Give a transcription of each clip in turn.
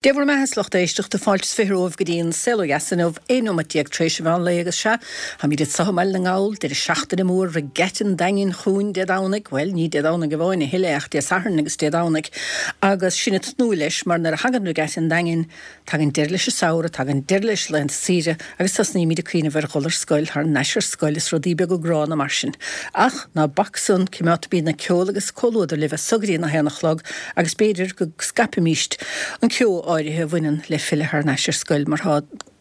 Dé bhur mbeatha, a lucht éisteachta, fáilte is 20 romhaibh go dtí an Saol Ó Dheas inniu, 11 nóimeat tar éis an mheán lae agus sea, táimid anseo i mBaile na nGall, deireadh seachtaine mór Regatta an Daingin chugainn Dé Domhnaigh, bhuel, ní Dé Domhnaigh amháin a thuilleadh ach Dé Sathairn agus Dé Domhnaigh agus sinn ag tnúth leis mar nuair a thagann Regatta an Daingin, Tagann deireadh leis an samhradh, tagann deireadh leis laethanta saoire agus tosnaímid ag cuimhneamh ar dhul ar scoil, thar n-ais ar scoil is rudaí beaga gránna mar sin. Ach ná bac san, cimeádfaimid an ceol agus comhluadar libh as so go dtí an 1 a chlog agus b'fhéidir go scaipfimíst an ceo áirithe a bhaineann le filleadh thar n-ais ar scoil mar tá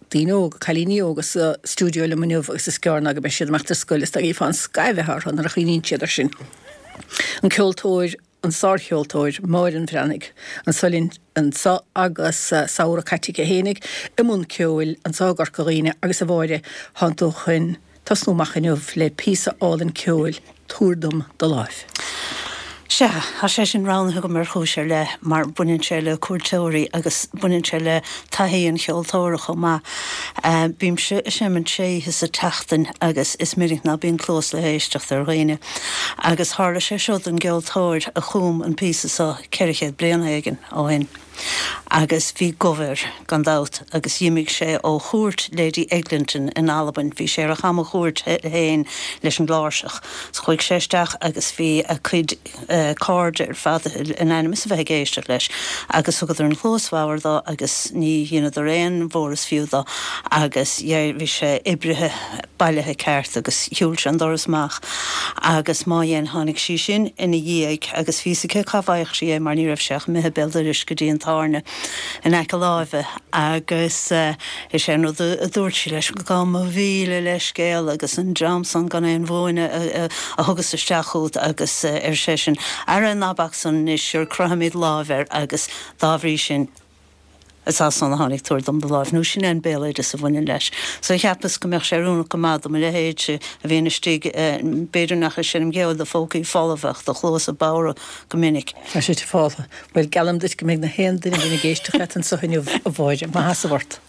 daoine óga, cailíní óga sa stiúideo liom inniu agus is gearr ná go mbeidh siad ag imeacht ar scoil is dá gcífeá an scaimh atá orthu nuair a chuimhníonn siad ar sin. An ceoltóir. an sárcheoltóir Máire an Bhreathnaigh anso linn anso agus samhradh caite aici fhéinig i mbun ceoil anso i gCorca Dhuibhne agus a Mháire thánn tú chun tosnú amach inniu le píosa álainn ceoil Tabhair dom do láimh. Sea, tá sé sin roghnaithe agam ar chúis ar leith mar baineann sé le cuairteoirí agus baineann sé le taithí an cheoltóra chomh maith. Bímse ag seimint sé oíche sa tseachtain agus is minic ná bíonn cluas le héisteacht ar dhaoine. Agus tharla sé seo don gceoltóir a chum an píosa seo 400 bliain éigin ó shin. Agus bhí gomh air, gan dabht, agus dh'imigh sé ó chúirt Lady Eglinton in Albain, bhí sé ar a chamachuairt féin leis an gcláirseach. So chuaigh sé isteach agus bhí a cuid cairde ar fad in ainm is a bheith ag éisteacht leis agus thugadar an chluas bhodhar dó agus ní dheineadar aon mhór is fiú dó agus bhí sé oibrithe bailithe ceart agus shiúil sé an doras amach agus má dhein tháinig sí sin ina dhiaidh agus bhí fhios aici cá bhfaigheadh sí é mar ní raibh sé ach imithe béal dorais go dtí an tábhairne in aice láimhe agus is é an rud a dúirt sí leis, Gabh mo mhíle leithscéal agus an dream san gan aon mhúineadh a thugas isteach chugat agus ar seisean, Ara ná bac san anois, sure croithfimid láimh air agus dá bhrí sin is as san a tháinig tabhair dom do láimh nó sin é an béaloideas a bhaineann leis. So cheapas go mbeadh sé oiriúnach go maith do mo leithéidse a bhíonn istigh, b'fhéidir nach ag seinm ceoil do phócaí folamh ach do chluasa bodhra go minic. Tá sé fáltha. Bhuel, geallaim duit go mbeidh na haon duine a bhíonn ag éisteacht leat anso inniu, a Mháire. Maith as ort.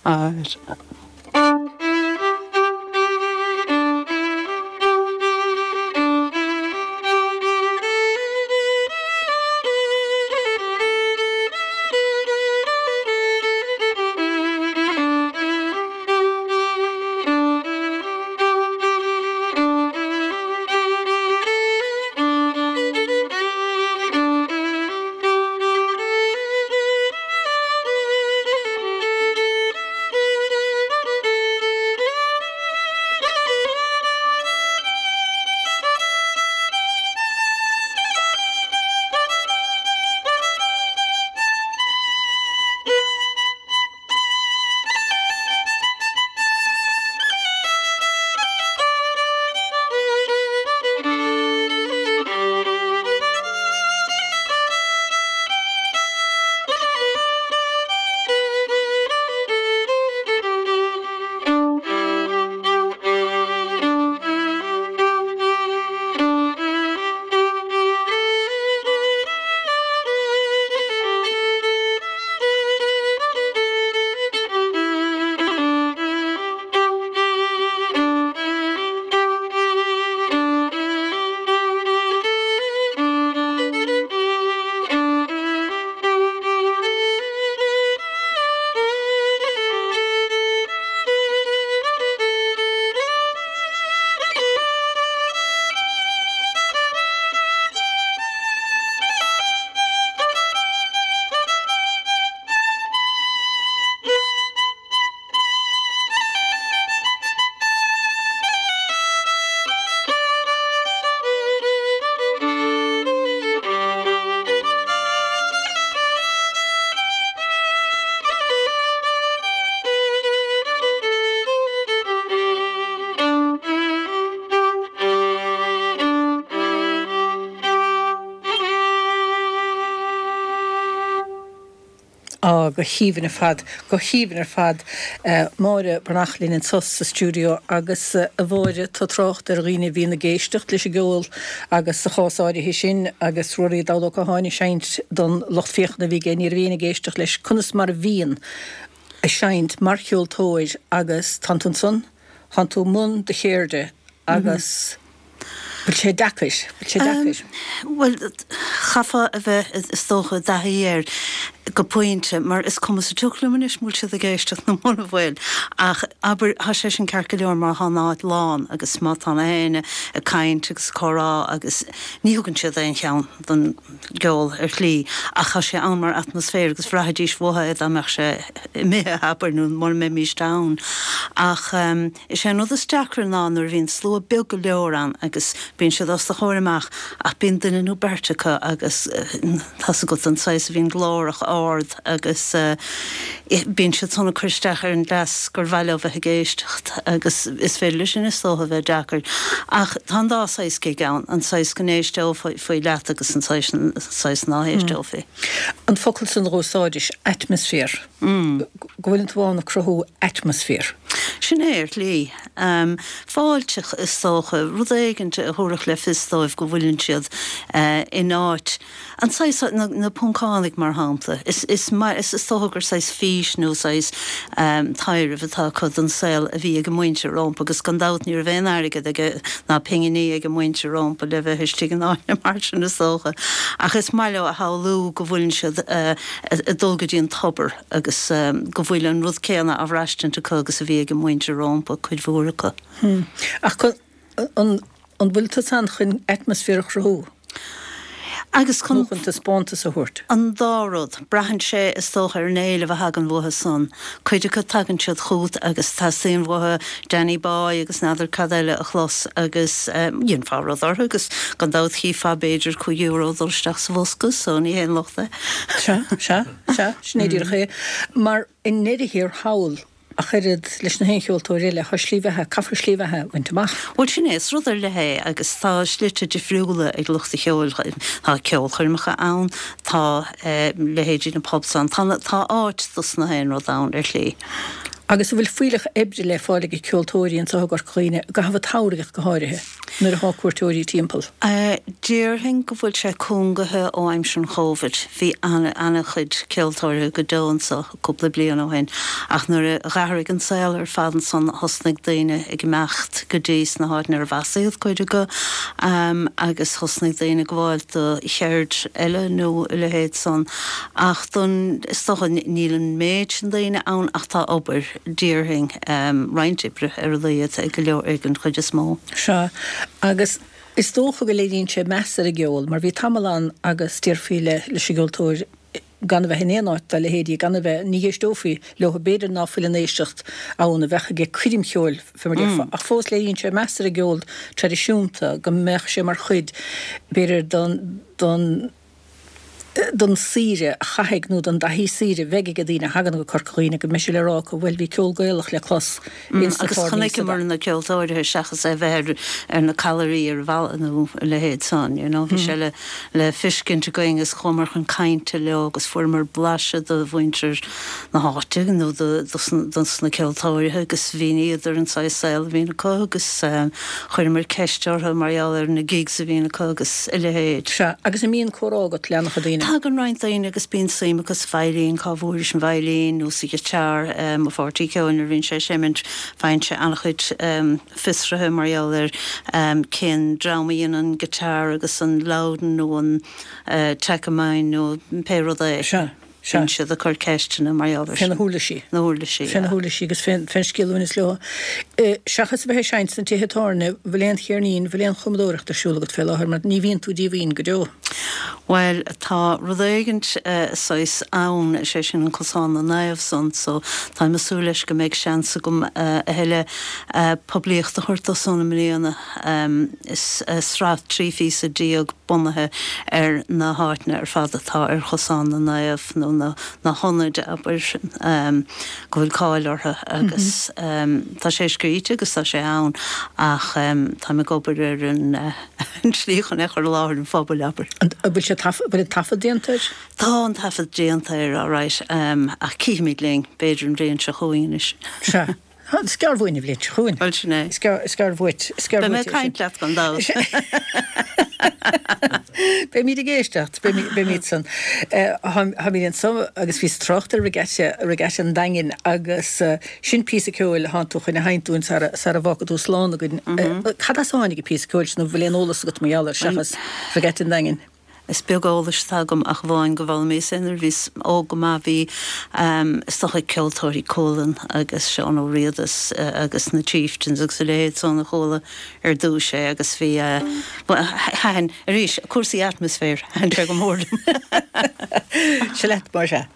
Á, go haoibhinn ar fad, go haoibhinn ar fad. Máire Breathnach linn anso sa stiúideo agus, a Mháire, tá trácht ar dhaoine a bhíonn ag éisteacht leis an gceol agus sa chás áirithe sin agus Ruairí Dall Ó Catháin ag seinnt don lucht féachana a bhí aige, ní raibh éinne ag éisteacht leis. Conas mar a bhíonn ag seinnt mar cheoltóir agus tánn tú ansan, tánn tú i mbun do cheirde agus. Bhfuil sé deacair? Bhfuil sé deacair? Bhuel, chaithfeá a bheith, is dócha, i dtaithí air. Go pointe, mar is cuma sa tsioc liom anois an bhfuil siad ag éisteacht nó muna bhfuil. Ach abair, tá sé sin ceart go leor má tá an áit lán agus má tá na héinne ag caint agus ag comhrá agus ní thugann siad aon cheann don gceol ar shlí ach tá sé ann mar atmaisféar agus bhraithfidís uathu é dá mbeadh sé imithe, abair, nó mura mbeimíst ann. Ach is é an rud is deacra ná nuair a bhíonn slua beag go leor ann agus bíonn siad os do chomhair amach ach bíonn duine nó beirt acu agus tá's agat an saghas a bhíonn glórach ard agus bíonn siad san ag cur isteach ar an gcleas gur mhaith leo bheith ag éisteacht agus is féidir leis sin is dócha a bheith deacair. Ach tá an dá saghas gig ann, an saghas go n-éisteofaí leat agus an saghas ná héisteofaí. An focal san a dh'úsáidis, atmaisféar. Go bhfuileann tú ann ag cruthú atmaisféar. Sin é, ar shlí. Fáilteach, is dócha, rud éigint a thabharfadh le fios dóibh go bhfuileann siad in áit, an saghas, na Poncánaigh mar shampla, is is dócha gur saghas fís nó saghas taidhreamh atá acu don saol a bhí ag a muintir rómpa agus gan dabht ní raibh aon airgead aige ná pinginí ag a muintir rómpa le bheith istigh in áiteanna mar sin is dócha ach is maith leo a shamhlú go bhfuileann siad ag dul go dtí an tobar agus go bhfuil an rud céanna á bhraistint acu agus a bhí ag a muintir rómpa, cuid mhór acu. Ach an bhfuil tusa ann chun atmaisféar a chruthú? Agus chun. Nó chun taispeántas a thabhairt? An dá rud. Braitheann sé, is dócha, ar an éileamh a thagann uathu san. Cuid acu tagann siad chugat agus teastaíonn uathu Danny Boy agus n'fheadar cad eile a chlos agus dhéanfá rud orthu agus gan dabht chífeá b'fhéidir €5 dul isteach sa bhosca so ní haon locht é. Sea, sea, sea, sin é díreach é. Mar i ndeireadh thiar thall, ach oiread leis na haon cheoltóir eile, tá slí bheatha, caithfear slí bheatha a bhaint amach. Bhuel, sin é, is rud ar leith é agus tá slite difriúla ag lucht an cheoil, tá ceolchoirmeacha ann, tá leithéidí na pubs ann, tá, tá áit dos na haon rud ann ar shlí. Agus an bhfuil fuílleach oibre le fáil ag ceoltóirí anseo i gCorca Dhuibhne, i gcaitheamh an tsamhraidh ach go háirithe, nuair atá cuairteoirí timpeall? Déarfainn go bhfuil sé cúngaithe ó aimsir an Chóivid. Bhí ana-chuid ceoltóirí go deo anseo cúpla bliain ó shin ach nuair a dh'athraigh an saol ar fad ansan thosnaigh daoine ag imeacht go dtí sna háiteanna arbh as iad cuid acu agus thosnaigh daoine ag gabháil do cheird eile nó a leithéid san. Ach don, is dócha, níl an méid sin daoine ann ach tá obair, déarfainn, roinnt oibre ar a laghad ag go leor, ag an chuid is mó. Sea, agus is dócha go léiríonn sé meas ar an gceol, mar bhí tamall ann agus déarfaí le, leis an gceoltóir gan a bheith in aon áit dá leithéidí, gan a bheith, ní héisteofaí leo, b'fhéidir ná fuil an éisteacht ann a bheadh ag coirm cheoil, fé mar déarfá, ach fós léiríonn sé meas ar an gceol traidisiúnta, go mbeadh sé mar chuid, b'fhéidir, don, don. don saoire a chaithfidh nó don dtaithí saoire a bheidh ag daoine a thagann go Corca Dhuibhne go mbeidh sé le rá acu bhuel bhí ceol Gaelach le clos ins na Agus tábhairní sa chonaiceamar na ceoltóirithe seachas é bheith ar ar na callairí ar an bhalla nó a leithéid san you know bhí sé le le fiscint againn agus chuamar chun cainte leo agus fuaireamar blaiseadh de mhuintir na háite nó dos na ceoltóirithe agus mhíníodar an saghas saol a bhíonn acu agus chuireamar ceist orthu mar gheall ar na gigs a bhíonn acu agus a leithéid. Sea, agus an mbíonn comhrá agat le an-chuid daoine? Tagann roinnt daoine agus bíonn suim acu sa veidhlín, cá bhfuairis an veidhlín nó sa ghiotár. Mo pháirtí ceoil nuair a bhíonn sé ag seimint faigheann sé an-chuid fiosruithe mar gheall ar cén dream a dhein an guitar agus an Lowden nó an Takamine nó pé rud é. Sea. Sea. Bíonn siad ag cur ceisteanna mar gheall ar Fé na huirlisí. Na huirlisí, Fé na huirlisí agus fén scéal a bhaineas leo. Seachas a bheith ag seinnt sna tithe tábhairne, bhfuil aon cheirnín, bhfuil aon chumadóireacht ar siúl agat fé láthair mar ní bhíonn tú díomhaoin go deo. Bhuel, tá rud éigint saghas ann, is é sin an Cosán na Naomh san, so táim ag súil leis go mbeidh seans agam a thuilleadh poiblíocht a thabhairt dó san i mbliana. Is sraith 13 phíosa bunaithe ar na háiteanna ar fad atá ar Chosán na Naomh, nó na hionaid, abair, go bhfuil cáil orthu agus tá sé scríte agus tá sé ann ach táim ag obair ar an tslí chun é a chur i láthair an phobail, abair. An bhfuil sé bhfuil an taifead déanta air? Tá an taifead déanta air, alright, ach cífimid linn, b'fhéidir an bhliain seo chugainn anois. Sea. Is gearr uainn an bhliain seo chugainn. Bhuel, sin é. Is gearr uait. Is gearr uait. Beidh mé ag caint leat gan dabht. Beimid ag éisteacht. Beimid san. Táimid anso agus bhíos ag trácht ar Regatta, Regatta an Daingin agus sin píosa ceoil a thánn tú chun a sheinnt dúinn sara bhfágfaidh tú slán againn. Cad as a tháinig an píosa ceoil sin nó bhfuil aon eolas agat mar gheall air seachas Regatta an Daingin? Is beag eolais atá agam ach amháin go bhfoghlaimíos é nuair a bhíos óg go maith. Bhí, is dócha, ceoltóirí Cualann agus Seán Ó Riada agus na Chieftains agus a leithéid san a chuala ar dtúis é agus bhí, bhuel, thaitin, arís, cúrsaí atmaisféir, thaitin sé go mór liom. Seo leat, mar sea.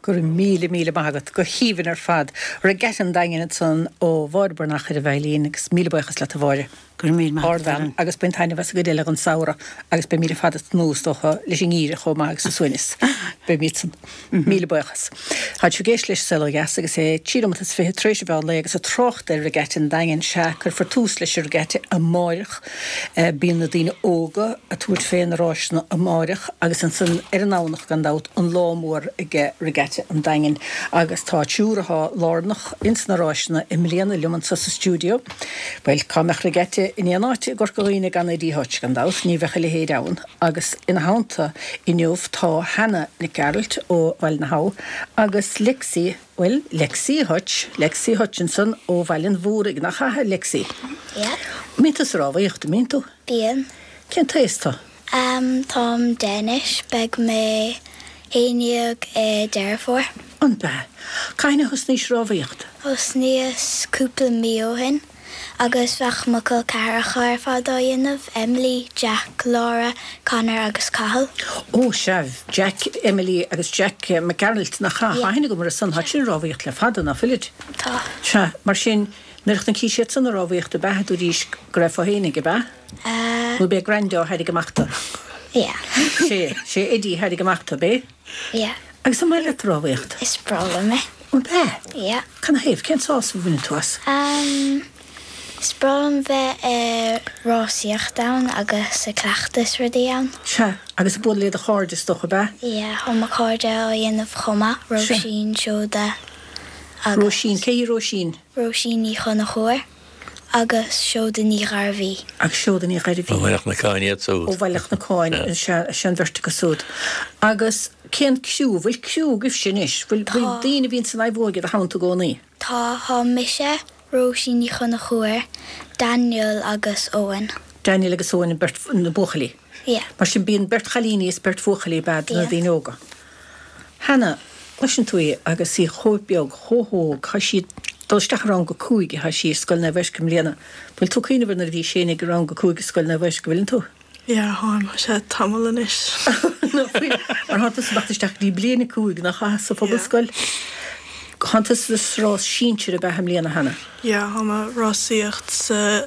Go raibh míle, míle maith agat. Go haoibhinn ar fad. Regatta an Daingin ansan ó Mháire Breathnach ar an veidhlín agus míle buíochas leat a Mháire. Go raibh míle maith agat, a Ardbhean agus bain taitneamh as an gcuid eile den samhradh agus beimid ar fad ag tnúth is dócha leis an ngeimhreadh chomh maith agus an suaimhneas. Beimid san. Míle buíochas. Tá sibh ag éisteacht leis Saol Ó Dheas agus é 23 nóimeat tar éis an mheán lae agus ag trácht ar Regatta an Daingin, sea, cuirfear tús leis an Regatta amáireach. Bíonn na daoine óga ag tabhairt fé na ráiseanna amáireach agus ansan ar an nDomhnach gan dabht an lá mór ag Regatta an Daingin agus tá triúr athá lárnach ins na ráiseanna i mbliana liom anso sa stiúideo. Bhuel, cá mbeadh Regatta in aon áit i gCorca Dhuibhne gan Eddie Hutch, gan dabht, ní bheadh a leithéid ann. Agus ina theannta inniu tá Hannah Nic Gearailt ó Bhaile na hAbha agus Lexi, bhuel, Lexi Hutch, Lexi Hutchinson ó Bhaile an Mhúraigh, nach ea, Lexi? Yeah. Mbíonn tú sa rámhaíocht, an mbíonn tú? Bíonn. Cén t-aos tú? Táim 10 anois, beidh mé 11 i Deireadh Fómhair. An b'ea? Cathain a thosnaís rámhaíocht? Thosnaíos cúpla mí ó shin agus bheadh mo chol ceathracha ar fad á dhéanamh, Emily, Jack, Laura, Conor agus Cathal. Ó sea, Jack, Emily agus Jack Mac Gearailt, nach ea? Tá aithne agam orthu san, tá siad ag rámhaíocht le fada, ná fuilid? Tá. Sea, mar sin, nuair a chonaic siad san ag rámhaíocht ab ea, dúraís go raibh fhéinig, ab ea? Nó b'é Grandá a thairrig amach tú? Yeah. Sé, sé Eddie a thairrig amach tú, ab é? Yeah. Agus an maith leat rámhaíocht? Is breá liom é. An b'ea? Yeah. Canathaobh? Cén sásamh a bhaineann tú as? Um, is breá liom bheith ag rásaíocht ann agus ag cleachtadh rudaí ann. Sea, agus ag bualadh le do chairde is dócha, ab ea? Yeah, tá mo chairde á dhéanamh chomh maith, Róisín, Seoda agus. Róisín, cé hí Róisín? Róisín Ní Chonchúir. Agus Seoda Ní Ghairbhí. Agus Seoda Ní Ghairbhí. Ó Bhaile Chnocáin iad súd. Ó Bhaile Chnocáin, sea, sea an bheirt acu súd. Agus cén criú, bhfuil criú agaibhse anois? Bhfuil, bhfuil daoine a bhíonn san naomhóig i do theannta i gcónaí? Tá, tá mise, Róisín Ní Chonchúir, Daniel agus Owen. Daniel agus Owen an beirt, na buachaillí? Yeah. Mar sin bíonn beirt chailíní is beirt bhuachaillí ab ea do na daoine óga. Hannah, cloiseann tú í agus í chomh beag, chomh hóg, tá sí ag dul isteach i rang a 5, tá sí i Scoil Naomh Eiscir i mbliana. Bhfuil tú ag cuimhneamh ar nuair a bhís fhéinig i rang a 5 i Scoil Naomh Eiscir, bhfuileann tú? Yeah, táim, tá sé tamall anois. Nach bhfuil? Mar thánn tusa ag teacht isteach go dtí bliain a 5, nach ea, sa phobalscoil? Thánn tusa sa rás sinsir ab ea i mbliana, Hannah? Yeah, táim ag rásaíocht sa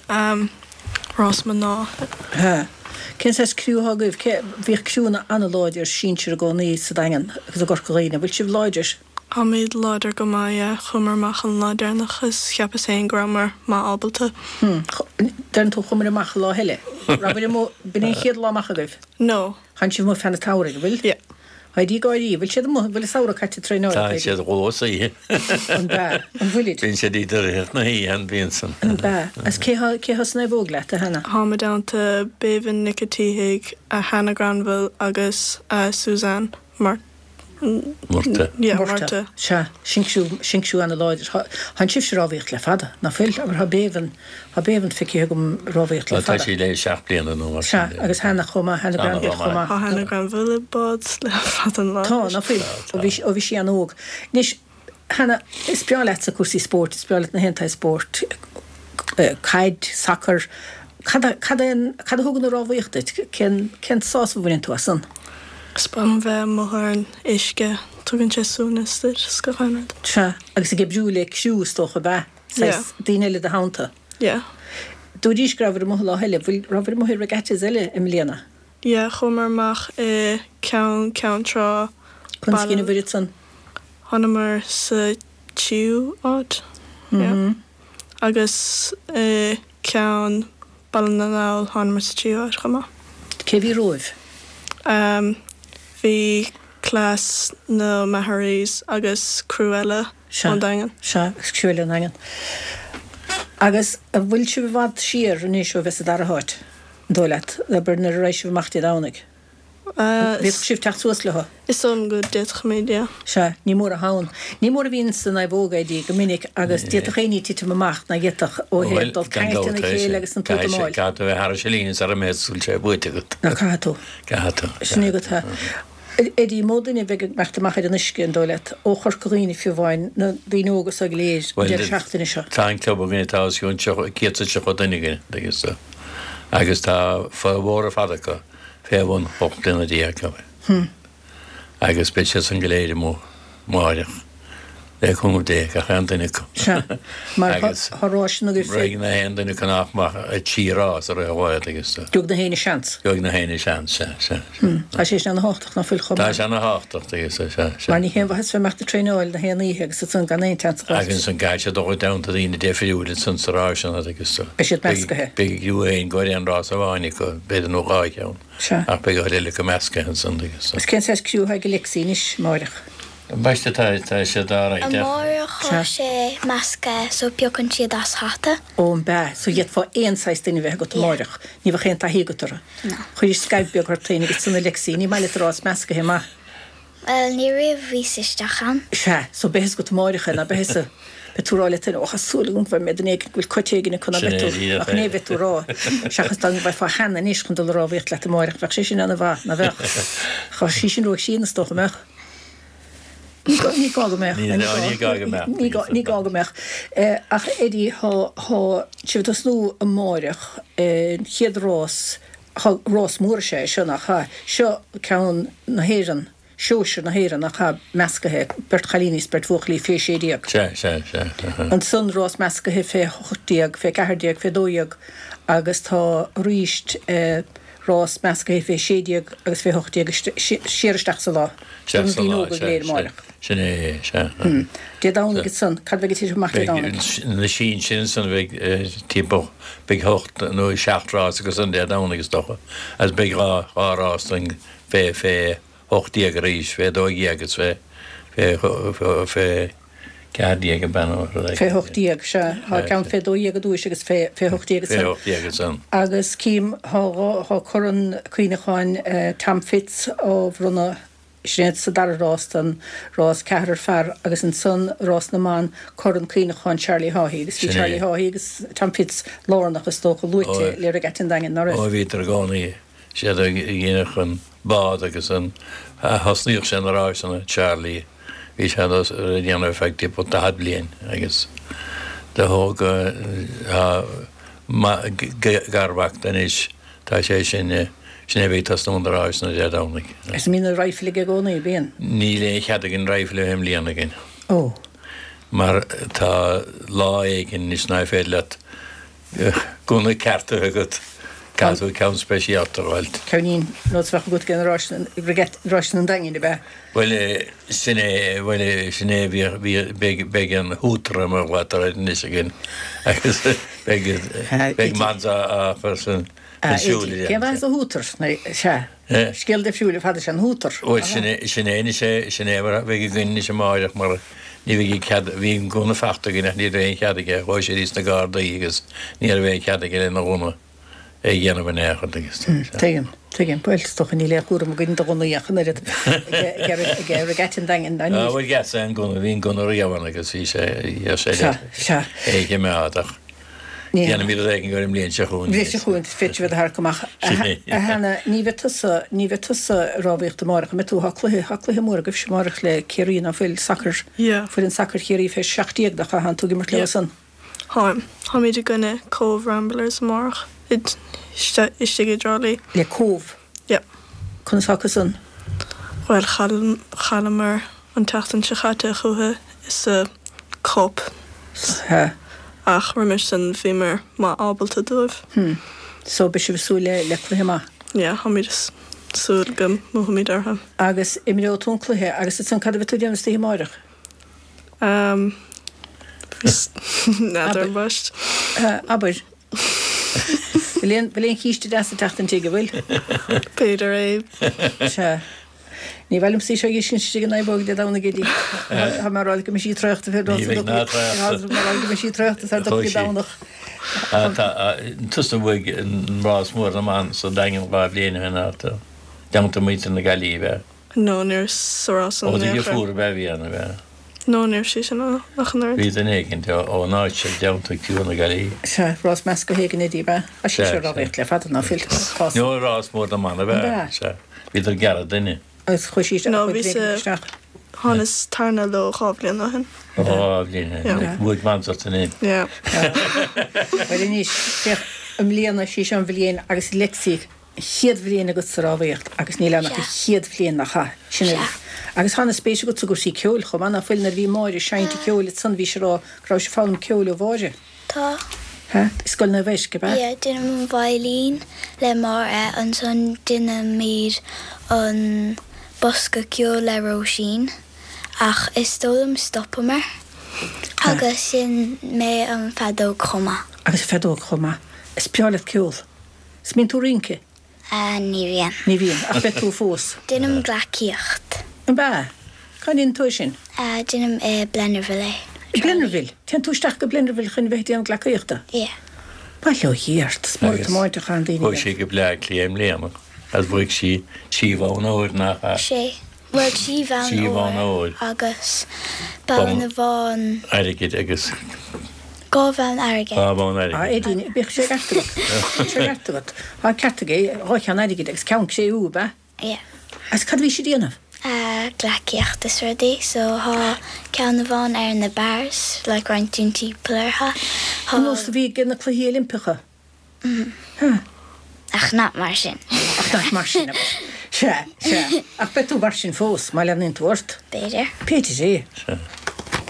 Rás mná. Sea. Cén saghas criú atá agaibh? Cé, bhíodh criúnna an-láidir sinsir i gcónaí sa Daingean agus i gCorca Dhuibhne. Bhfuil sibh láidir? Táimid láidir go maith, yeah. Chuamar amach an lá deireanach is cheapas féin go rabhamar maith ábalta. Hmm. Deireann tú chuamar amach an lá eile. Rabhaibh amuigh, b'in é an chéad lá amach agaibh? No. Tánn sibh amuigh feadh an tsamhraidh, an bhfuil? Yeah. Eddie ag gáirí, bhfuil siad amuigh, bhfuil an samhradh caite ag traenáil Tá siad dhó sa oíche. An bea? An bhfuilid? Bíonn siad idir rith na hoíche an bhíonn san. An bea? Agus cé thá, cé thá sa naomhóg leat, a Hannah? Táim i dteannta Béibhinn Nic a tSíthigh, Hannah Granville agus Suzanne Mart. Murtagh. Yeah, Murtagh. Sea, sinsear, sinsear ana-láidir. Tá, tánn sibhse ag rámhaíocht le fada, ná fuil? Abair, tá Béibhinn, tá Béibhinn feicthe agam ag rámhaíocht le Tá fada. sí le 7 bliana nó mar sin Sea, de. agus Hannah chomh maith, Hannah Hannah Granville chomh chomh maith. maith. Tá Hannah Granville i bád le fada an lá Tá, anois. ná fuil? Tá, Ó bhí, ó bhí sí an-óg. Anois, Hannah, is breá leatsa cúrsaí spóirt, is breá leat na haon tsaghas spóirt, caid, sacar, cad a, cad é an, cad a thugann an rámhaíocht duit? Cén, cén sásamh a bhaineann tú as san? Is breá liom bheith amuigh ar an uisce, tugann sé suaimhneas duit is gach aon rud. Sea, agus ag oibriú le criú is dócha, ab ea? Yeah. Saghas daoine eile i do theannta. Yeah. Dúraís go rabhabhair amuigh lá eile, bhfuil, rabhabhair amuigh i regattas eile i mbliana? Yeah, chuamar amach i ceann Ceann Trá, Conas a dheineabhair ansan? Thánamar sa tríú áit, yeah. Agus i ceann Baile na nGall thánamar sa tríú áit chomh maith. Cé bhí romhaibh? Ehm, bhí class na Maharees agus criú eile ón Daingean. Sea, agus criú eile ón Daingean. Agus an bhfuil sibh i bhfad siar anois ó bheith sa dara háit, an dóigh leat, abair nuair a raghaidh sibh amach Dé Domhnaigh? Bhféadfadh sibh teacht suas leo? Is dóigh liom go d'fhéadfaimid, yeah. Sea, ní mór atá ann. Ní mór a bhíonn sa naomhóg, Eddie, go minic agus d'fhéadfadh aon ní titim amach ná d'fhéadfadh ó thaobh dul ceangailte ina chéile agus an t-útamáil. Caithfidh tú a bheith thar an líne sara mbeidh súil sé buaite agat. Ná caithfidh tú. Caithfidh tú. Sin é agat é. Eddie, mó duine a bheidh ag imeacht amach ar an uisce, an dóigh leat, ó Chorca Dhuibhne fiú amháin, na daoine óga so go léir, an deireadh seachtaine seo? Tá an club againne, tá os cionn 170 duine againne, tuigeann tú. Agus tá formhór ar fad acu fé bhun 18 bliana acu. Agus beidh siad san go léir amuigh amáireach, le cúnamh Dé, gach aon duine acu. Sea, mar tá ráiseanna agaibh fé. Raghaidh na haon duine acu nach mbeadh i dtrí rás i rith an lae, tuigeann tú. Gheobhaidh na héinne seans. Gheobhaidh na héinne seans, sea, sea, sea. Tá sé sin ana-thábhachtach, ná fuil chomh maith? Tá sé ana-thábhachtach, tuigeann tú, sea, sea. Mar ní haon mhaitheas bheith ag imeacht ag traenáil na haon oíche agus ansan gan aon tseans a dh'fháilt. Agus ansan caithfidh siad dul i dteannta daoine difriúil ansan sa ráiseanna, tuigeann tú. Beidh siad meascaithe. Beidh a gcriú féin ag goil aon rás amháin acu, b'fhéidir, nó dhá cheann. Sea. Ach beidh an chuid eile acu meascaithe ansan, tuigeann tú. Agus cén saghas criú atá ag Alexi anois, amáireach? Ambaiste, tá, tá siad á rá. Amáireach tá sé meascaithe so piocann siad as hata. Ó, an bea? So d'fhéadfá aon saghas duine a bheith agat amáireach. Ní bheadh aon taithí agat orthu. No. Chuiris scaimh beag ort féin agus ansan Alexi, ní maith leat rás meascaithe, maith. Bhuel, ní riamh bhíos isteach ann. Sea, so beidh fhios agat amáireach é, ná beidh fhios Beidh tú ag rá leat féin, ó, tá súil agam go bhfaighidh mé duine éigin go bhfuil cut éigin acu, ná beidh tú, ach ní bheidh tú ag rá, seachas dá bhfaighfeá Hannah anois chun dul ag rámhaíocht leat amáireach, bheadh sé sin ana-mhaith, ná bheadh? Tá sí sin ró-chríonna, is dócha, an mbeadh? Ní gá, ní gá go mbeadh. Ní, ní gá go mbeadh. Ní gá, ní gá go mbeadh. Ach Eddie, tá, tá sibh ag tosnú amáireach, an chéad rás, Tá rás mór is ea é seo, nach ea? Seo ceann na hÉireann, sóisir na hÉireann, nach ea? Meascaithe, beirt chailíní is beirt bhuachaillí fé 16. Sea, sea, sea. Ansan rás meascaithe fé 18, fé 14, fé 12 agus tá arís rás meascaithe fé 16 agus fé 18 siar isteach sa lá. Sea, Do na sa daoine lá, óga go sea, léir sea. amáireach. Sin é é, sea. Dé Domhnaigh ansan, cad bheidh ag titim amach Dé Domhnaigh? Beidh na sinsir ansan, beidh timpeall, beidh hocht nó seacht rás acu san Dé Domhnaigh is dócha, agus beidh dhá, dhá rás don fé, fé 18 arís, fé 12 agus fé, fé, fé 14 ab ea nó rud éigin. Fé 18, sea. Tá ceann fé 12 i dtúis agus fé, fé 18 ansan. Fé 18 ansan. Agus cím, tá dhá, tá Corn Cuimhneacháin Tom Fitz á bhronnadh Sin é sa dara rás don rás ceathrar fear agus ansan rás na mban, Corn Cuimhneacháin Charlie Haughey agus bhí Charlie Haughey agus Tom Fitz lárnach is dócha luaite le Regatta an Daingin, ná raibh? Ó bhíodar i gcónaí, siad a dhéanadh an bád agus an, thosnaíodh sé na ráiseanna, Charlie, bhí sé á dhéanamh ar feadh timpeall 40 bliain agus do thóg, garmhac de anois, Tá sé sin, sin é a bheidh ag tosnú na ráiseanna Dé Domhnaigh. Is an mbíonn na raidhfil aige i gcónaí, bíonn? Níl aon chead againn raidhfil a bheith i mbliana againn. Ó. Mar tá lá éigin anois ná féidir leat gunna ceart a bheith agat. Caithfidh tú ceann speisialta a fháilt. Ceainnín, nós a bheadh agat ag ráiseanna an Daingin, ab ea? Bhuel, sin é, bhuel, sin é, bhí, bhí, beidh, beidh an hooter mar a ghlaotar air anois againn agus beidh, beidh Mans á chur san, san siúl air. Cén mhaith an hooter? Sea, scéal difriúil ar fad is ea an hooter. Bhuel, sin é, sin é anois é, sin é mar a bheidh againn anois amáireach mar ní bheidh cead, bhí an gunna fachta againn ach ní raibh aon chead aige, chuaigh sé thíos na Gardaí agus ní raibh aon chead aige lena ghunna. é a dhéanamh in aon chor agus Tuigim, tuigim. Bhuel, is dócha níl aon chúram againn do ghunnaí ach an oiread ag Regatta an Daingin. Ná níl. Bhuel, gheas é an gunna, bhí an gunna riamh ann agus bhí sé, bhí sé le Sea, sea. é a choimeád ach déanfaimid rud éigin air an mbliain seo chugainn. Bhliain seo chugainn, féadfaidh sibh a tharrac amach. A Hannah, ní bheidh tusa, ní bheidh tusa ag rámhaíocht amárach, an mbeidh tú? Tá cluiche, tá cluiche mór agaibhse amárach le Ciarraí, ná fuil? Sacar, Yeah. foireann sacair Chiarraí fé 17 nach ea? Tánn tú ag imirt leo Yeah. san? Táim. Táimid i gcoinne Cobh Ramblers amárach istigh i dTrá Lí. Le Cóbh? Yep. Conas tá acusan? Bhuel, chailleamar an tseachtain seo chaite chucu sa Cup. Sea. Ach roimis sin bhíomar maith ábalta dóibh. Hmm. So beidh sibh ag súil le cluiche maith? Yeah, táimid ag súil go mbuafaimid orthu. Agus imreoidh tú an cluiche agus ansan cad a bheidh tú ag déanamh istoíche amáireach? N'fheadar ambaist. Abair. Bhfuil aon bhfuil aon chíste deas ag teacht an tigh, an bhfuil? B'fhéidir é. Sea. Ní mhaith liomsa í seo a fheiscint istigh in aghaidh Dé Domhnaigh Eddie. Tá mé ag rá go mbeidh sí traochta fé Ní bheidh ná traochta. Tá mé ag rá go mbeidh sí traochta sar Dé Domhnach. Tá tusa a bhuaigh an rás mór na mban sa Daingean 2 bhliain ó shin ach dteannta muintir na Gaillimhe. No, ní raibh sa rás san Ó do dheirfiúr ab ea a bhí ann, ab ea? No, ní raibh sí sin ann ach an oiread. Bhí duine éicint ón áit seo i dteannta criú na Gaillimhe. Sea, rás measctha éigin Eddie, ab ea? Tá sí seo ag rámhaíocht le fada, ná fuil? Tá. No, rás mór na mban, ab ea? Ab ea? Sea. Bhíodar ag gearradh duine. Agus chuaigh sí isteach, No, chuaigh bhí duine sa, éigin isteach. thánas tarna leo 2 bhliain ó shin. Ó, 2 bhliain ó shin. Yeah. Bhuaigh Mans ort ansin. Yeah. Bhuel anois, féach, i mbliana, sí seo an bhliain agus Lexi, chéad bhliain agat sa rámhaíocht agus níl ann ach an chéad bhliain nach ea? Sin é. Agus tá ana-spéis agat sa gcúrsaí ceoil chomh maith, ná fuil? Nuair a bhí Máire ag seinnt an cheoil ansan bhí sí ag rá go raibh sí ag foghlaim ceoil ó Mháire. Tá. Hea? I Scoil Naomh Eisc, ab ea? Yeah, déanaim an veidhlín le Máire, ansan déanaimid an bosca ceoil le Róisín, ach is dóigh liom stopamar agus sheinn mé an feadóg chomh maith. Agus an feadóg chomh maith. Is breá leat ceol. 'S mbíonn tú ag rince? Ní bhíonn. Ní bhíonn, ach beidh tú fós. Déanaim gleacaíocht. Ab ea? Cá ndéanann tú é sin? Déanaim i Blennerville é. I Blennerville? Téann tú isteach go Blennerville chun bheith ag déanamh gleacaíochta? Yeah. Bail ó Dhia ort, is mór an tiomáint a chaitheann daoine Chuaigh sí go Bleá Cliath i mbliana agus bhuaigh sí trí bhonn óir, nach ea? Sé. Bhuel, trí bhonn óir agus bonn amháin. Airgid agus. Dhá bhonn airgid. Dhá bhonn airgid. A Eddie, bíodh sé ceart agat. Bíodh sé ceart agat. Tá an ceart aige, dhá cheann airgid agus ceann cré-umha, ab ea? Yeah. Agus cad a bhí sí ag déanamh? Gleacaíocht is rudaí. So thá ceann amháin ar na bars, like roinnt daoine timpeall orthu. Ar nós a bhí ag na Cluichí Oilimpeacha. Ach nach mar sin. Ach nach mar sin, abair. Sea, sea. Ach beidh tú mar sin fós, má leanaíonn tú ort. B'fhéidir. B'fhéidir é. Sea.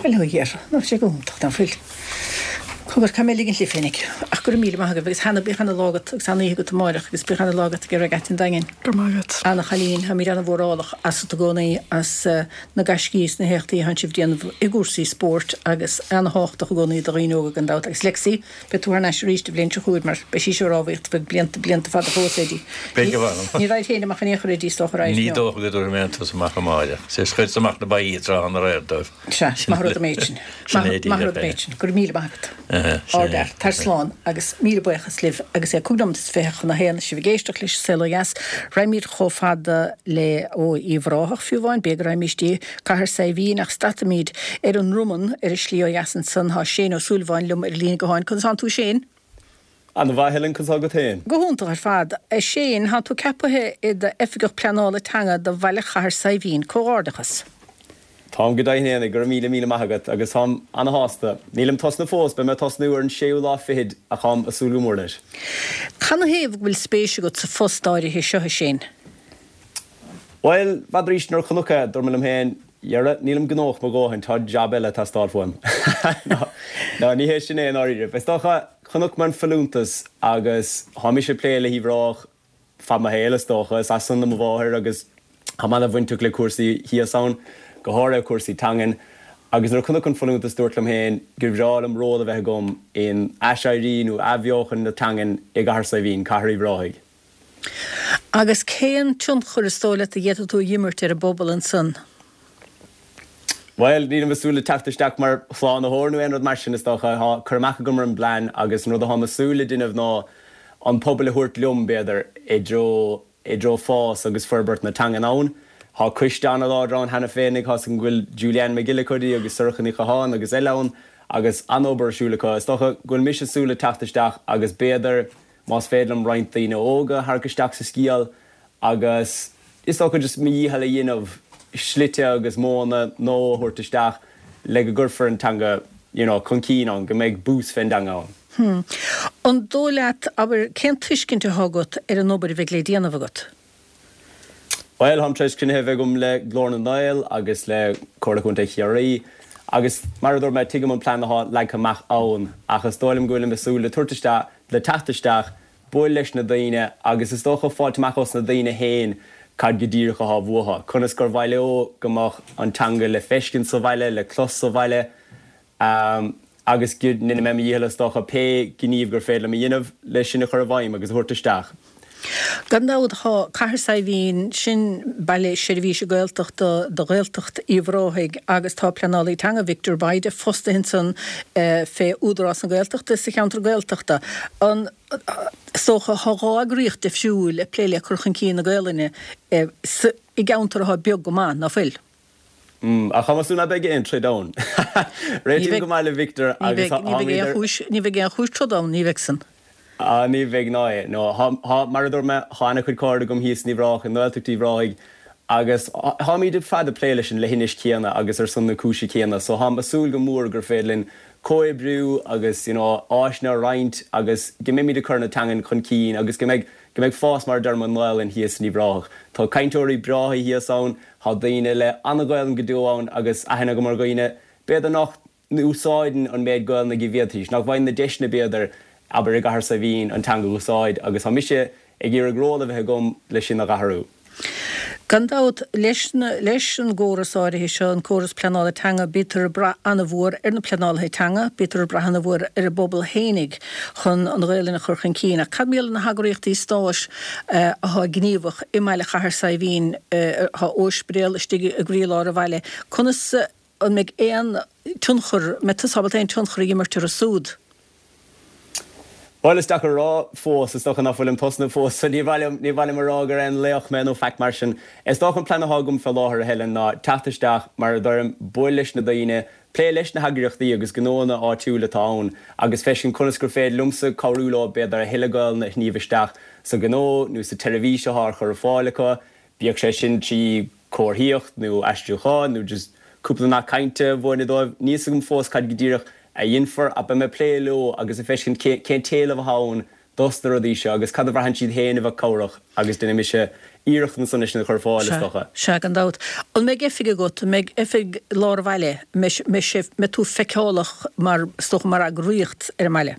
Bhuel, ó Dhia, nach sé go hiontach, ná fuil? Cogar, caithfidh mé ligint libh féinig. Ach go raibh míle maith agaibh agus Hannah, bíodh ana lá agat agus ana oíche agat amáireach agus bíodh ana lá agat ag Regatta an Daingin. Go raibh maith agat. Ana chailín, táimid ana mhórálach asat i gcónaí as na gaiscí is na héachtaí atánn sibh ag déanamh i gcúrsaí spóirt agus ana thábhachtach i gcónaí do dhaoine óga gan dabht agus Lexi, Beidh tú thar n-ais arís an bhliain seo chugainn mar beidh sí seo ag rámhaíocht feadh blianta, blianta fada fós, Eddie. Beidh, a mh'anam. Ní raghair féin amach in aon chor, Eddie, is dócha, raghair? Ní dócha go dtabharfaidh mé an turas amach amáireach. Is chuireas amach na ba tráth an aréir dóibh. Sea, maith rud an méid sin. Sin é díreach Maith rud an é. méid sin. Go raibh míle maith agat. Sin é. Ardfhear. Tar slán agus míle buíochas libh agus é cúig nóiméad is fiche chun a haon, sibh ag éisteacht leis an Saol Ó Dheas. Raghaimid chomh fada le, ó, Uíbh Ráthach fiú amháin, b'fhéidir go raghaimís dtí Cathair Saidhbhín ach stadfaimid ar an nDromann ar an slí ó dheas ansan. Tá Shane Ó Súilleabháin liom ar an líne gutháin. Conas tánn tú Shane? Ana mhaith Helen, conas tá agat féin? Go hiontach ar fad. A Shane, tánn tú ceapaithe i d'Oifigeach Pleanála Teanga do Bhaile Chathair Saidhbhín. Comhghairdeachas. Táim go deimhin fhéinig, go raibh míle míle maith agat agus táim ana shásta. Nílim tosnaithe fós, beidh mé ag tosnú ar an séú lá fichid ach táim ag súil go mór leis. Canathaobh go bhfuil spéis agat sa phost áirithe seo, a Shane? Bhuel, n'fheadar arís nuair a chonac é, dúirt mé liom féin. Dhera, nílim gnóthach mo dhóthain, tá jab eile ag teastáil uaim. No, ní hé sin é i ndáiríre. Is dócha, chonaic mé an folúntas agus tá mise ag plé le hUíbh Ráthach fad mo shaoil, is dócha. Is as san do mo mháthair agus táim ana-bhainteach le cúrsaí thíos ann, go háirithe cúrsaí teangan. Agus nuair a chonac an folúntas dúirt liom féin gur bhreá liom ról a bheith agam in aiséirí nó athbheochan na teangan i gCathair Saidhbhín, Cathair Uíbh Ráthaigh. Agus cén tionchar is dóigh leat a d'fhéadfadh tú a dh'imirt ar an bpobal ansan? Bhuel, nílim ag súil le teacht isteach mar shlánaitheoir nó aon rud mar sin, is dócha. Tá cur amach agam ar an bplean agus an rud atáim ag súil le déanamh ná an pobal a thabhairt liom, b'fhéidir, i dtreo, i dtreo fás agus forbairt na teangan ann. Tá coiste an-láidir ann cheana féinig, tá's agam go bhfuil Julianne McGillicuddy agus Sorcha Ní Chatháin agus eile ann agus an-obair ar siúl acu. Is dócha go bhfuil mise ag súil le teacht isteach agus b'fhéidir, más féidir liom roinnt daoine óga a tharrac isteach sa scéal agus is dócha just mo dhícheall a dhéanamh slite agus modhanna nua a thabhairt isteach le go gcuirfear an teanga you know chun cinn ann, go mbeidh bús fén dteanga ann. Hmm. An dóigh leat, abair, cén tuiscint atá agat ar an obair a bheidh le déanamh agat? Bhuel, táim tar éis cruinnithe a bheith agam le Glór na nGael agus le Comhairle Contae Chiarraí agus mar a dúirt mé, tuigim an plean atá leagtha amach ann ach is dóigh liom go bhfuilim ag súil le tabhairt isteach, le teacht isteach, bualadh leis na daoine agus is dócha fáilt amach ós na daoine féin cad go díreach atá uathu, conas gur mhaith leo go mbeadh an teanga le feiscint sa bhaile, le clos sa bhaile. Agus go ndéanfaidh mé mo dhícheall is dócha pé gníomh gur féidir liom a dhéanamh le sin a chur i bhfeidhm agus a thabhairt isteach. Gan dabht, tá Cathair Saidhbhín, sin baile seirbhíse Gaeltachta do Ghaeltacht Uíbh Ráthaigh agus tá pleanálaí teanga, Victor Bayda, fostaithe ansan fé Údarás na Gaeltachta sa cheantar Gaeltachta. An, is dócha, tá dhá eagraíocht difriúil ag plé le cur chun cinn na Gaelainne i gceantar atá beag go maith, ná fuil? Ach tá mé ag súil ná beidh aon troid ann. Réitím go maith le Victor agus táimid ar. Ní bheidh aon chúis troda ann, ní bheidh san. Ah, ní bheidh ná é. No, tá, mar a dúirt mé, tá ana-chuid cairde agam thíos in Uíbh Ráthach, i nGaeltacht Uíbh Ráthaigh agus táimid ar fad ag plé leis an leithinis chéanna agus ar son na cúise céanna so táim ag súil go mór gur féidir linn comhoibriú agus, you know, áiseanna a roinnt agus go mbeimid ag cur na teangan chun cinn agus go mbeidh, go mbeidh fás mar a deirim i nGaelainn thíos in Uíbh Ráthach. Tá cainteoirí breátha thíos ann, Tá daoine le an-Ghaelainn go deo ann agus aithne agam ar dhaoine, b'fhéidir nach n-úsáideann an méid Gaelainne go bhféadfaidís, nach bhfaigheann na deiseanna b'fhéidir, abair i gCathair Saidhbhín, an teanga a úsáid agus tá mise ag iarraidh ról a bheith agam le sin a dh'athrú. Gan dabht, leis leis an gcóras áirithe seo, an córas pleanála teanga, bítear ag brath an-mhór ar na pleanálaithe teanga, bítear ag brath an-mhór ar an bpobal fhéinig chun an Ghaelainn a chur chun cinn. Ach cad mar gheall ar na heagraíochtaí stáit athá gníomhach i mbaile Chathair Saidhbhín, athá Ospidéal istigh i gcroílár an bhaile, conas, an mbeidh aon tionchar, an mbeidh tusa ábalta aon tionchar a imirt orthu súd? Bhuel, is deacair a rá fós, is dócha nach bhfuilim tosnaithe fós, so ní mhaith liom, ní mhaith liom a rá gur aon laoch mé nó faic mar sin. Is dócha an plean athá agam fé láthair, a Helen, ná teacht isteach, mar a deirim, bualadh leis na daoine, plé leis na heagraíochtaí agus gnóanna áitiúil atá ann agus feiscint conas gur féidir liomsa cabhrú leo b'fhéidir a thuilleadh Gaelainne a shníomh isteach sa ghnó nó sa tseirbhís athá ar chur ar fáil acu, bíodh sé sin trí comharthaíocht nó aistriúchán nó just cúpla nath cainte a mhúineadh dóibh. Níl 's agam fós cad go díreach a dhéanfar ach beidh mé ag plé leo agus ag feiscint cén t-éileamh atá ann dos na rudaí seo agus cad a bhraitheann siad féin a bheadh cabhrach agus déanfaidh mise iarracht ansan é sin a chur ar fáil, is dócha. Sea, gan dabht. An mbeidh oifig agat, an mbeidh oifig lár an bhaile, an mbeidh sé, mbeidh tú feiceálach mar, is dócha, mar eagraíocht ar an mbaile?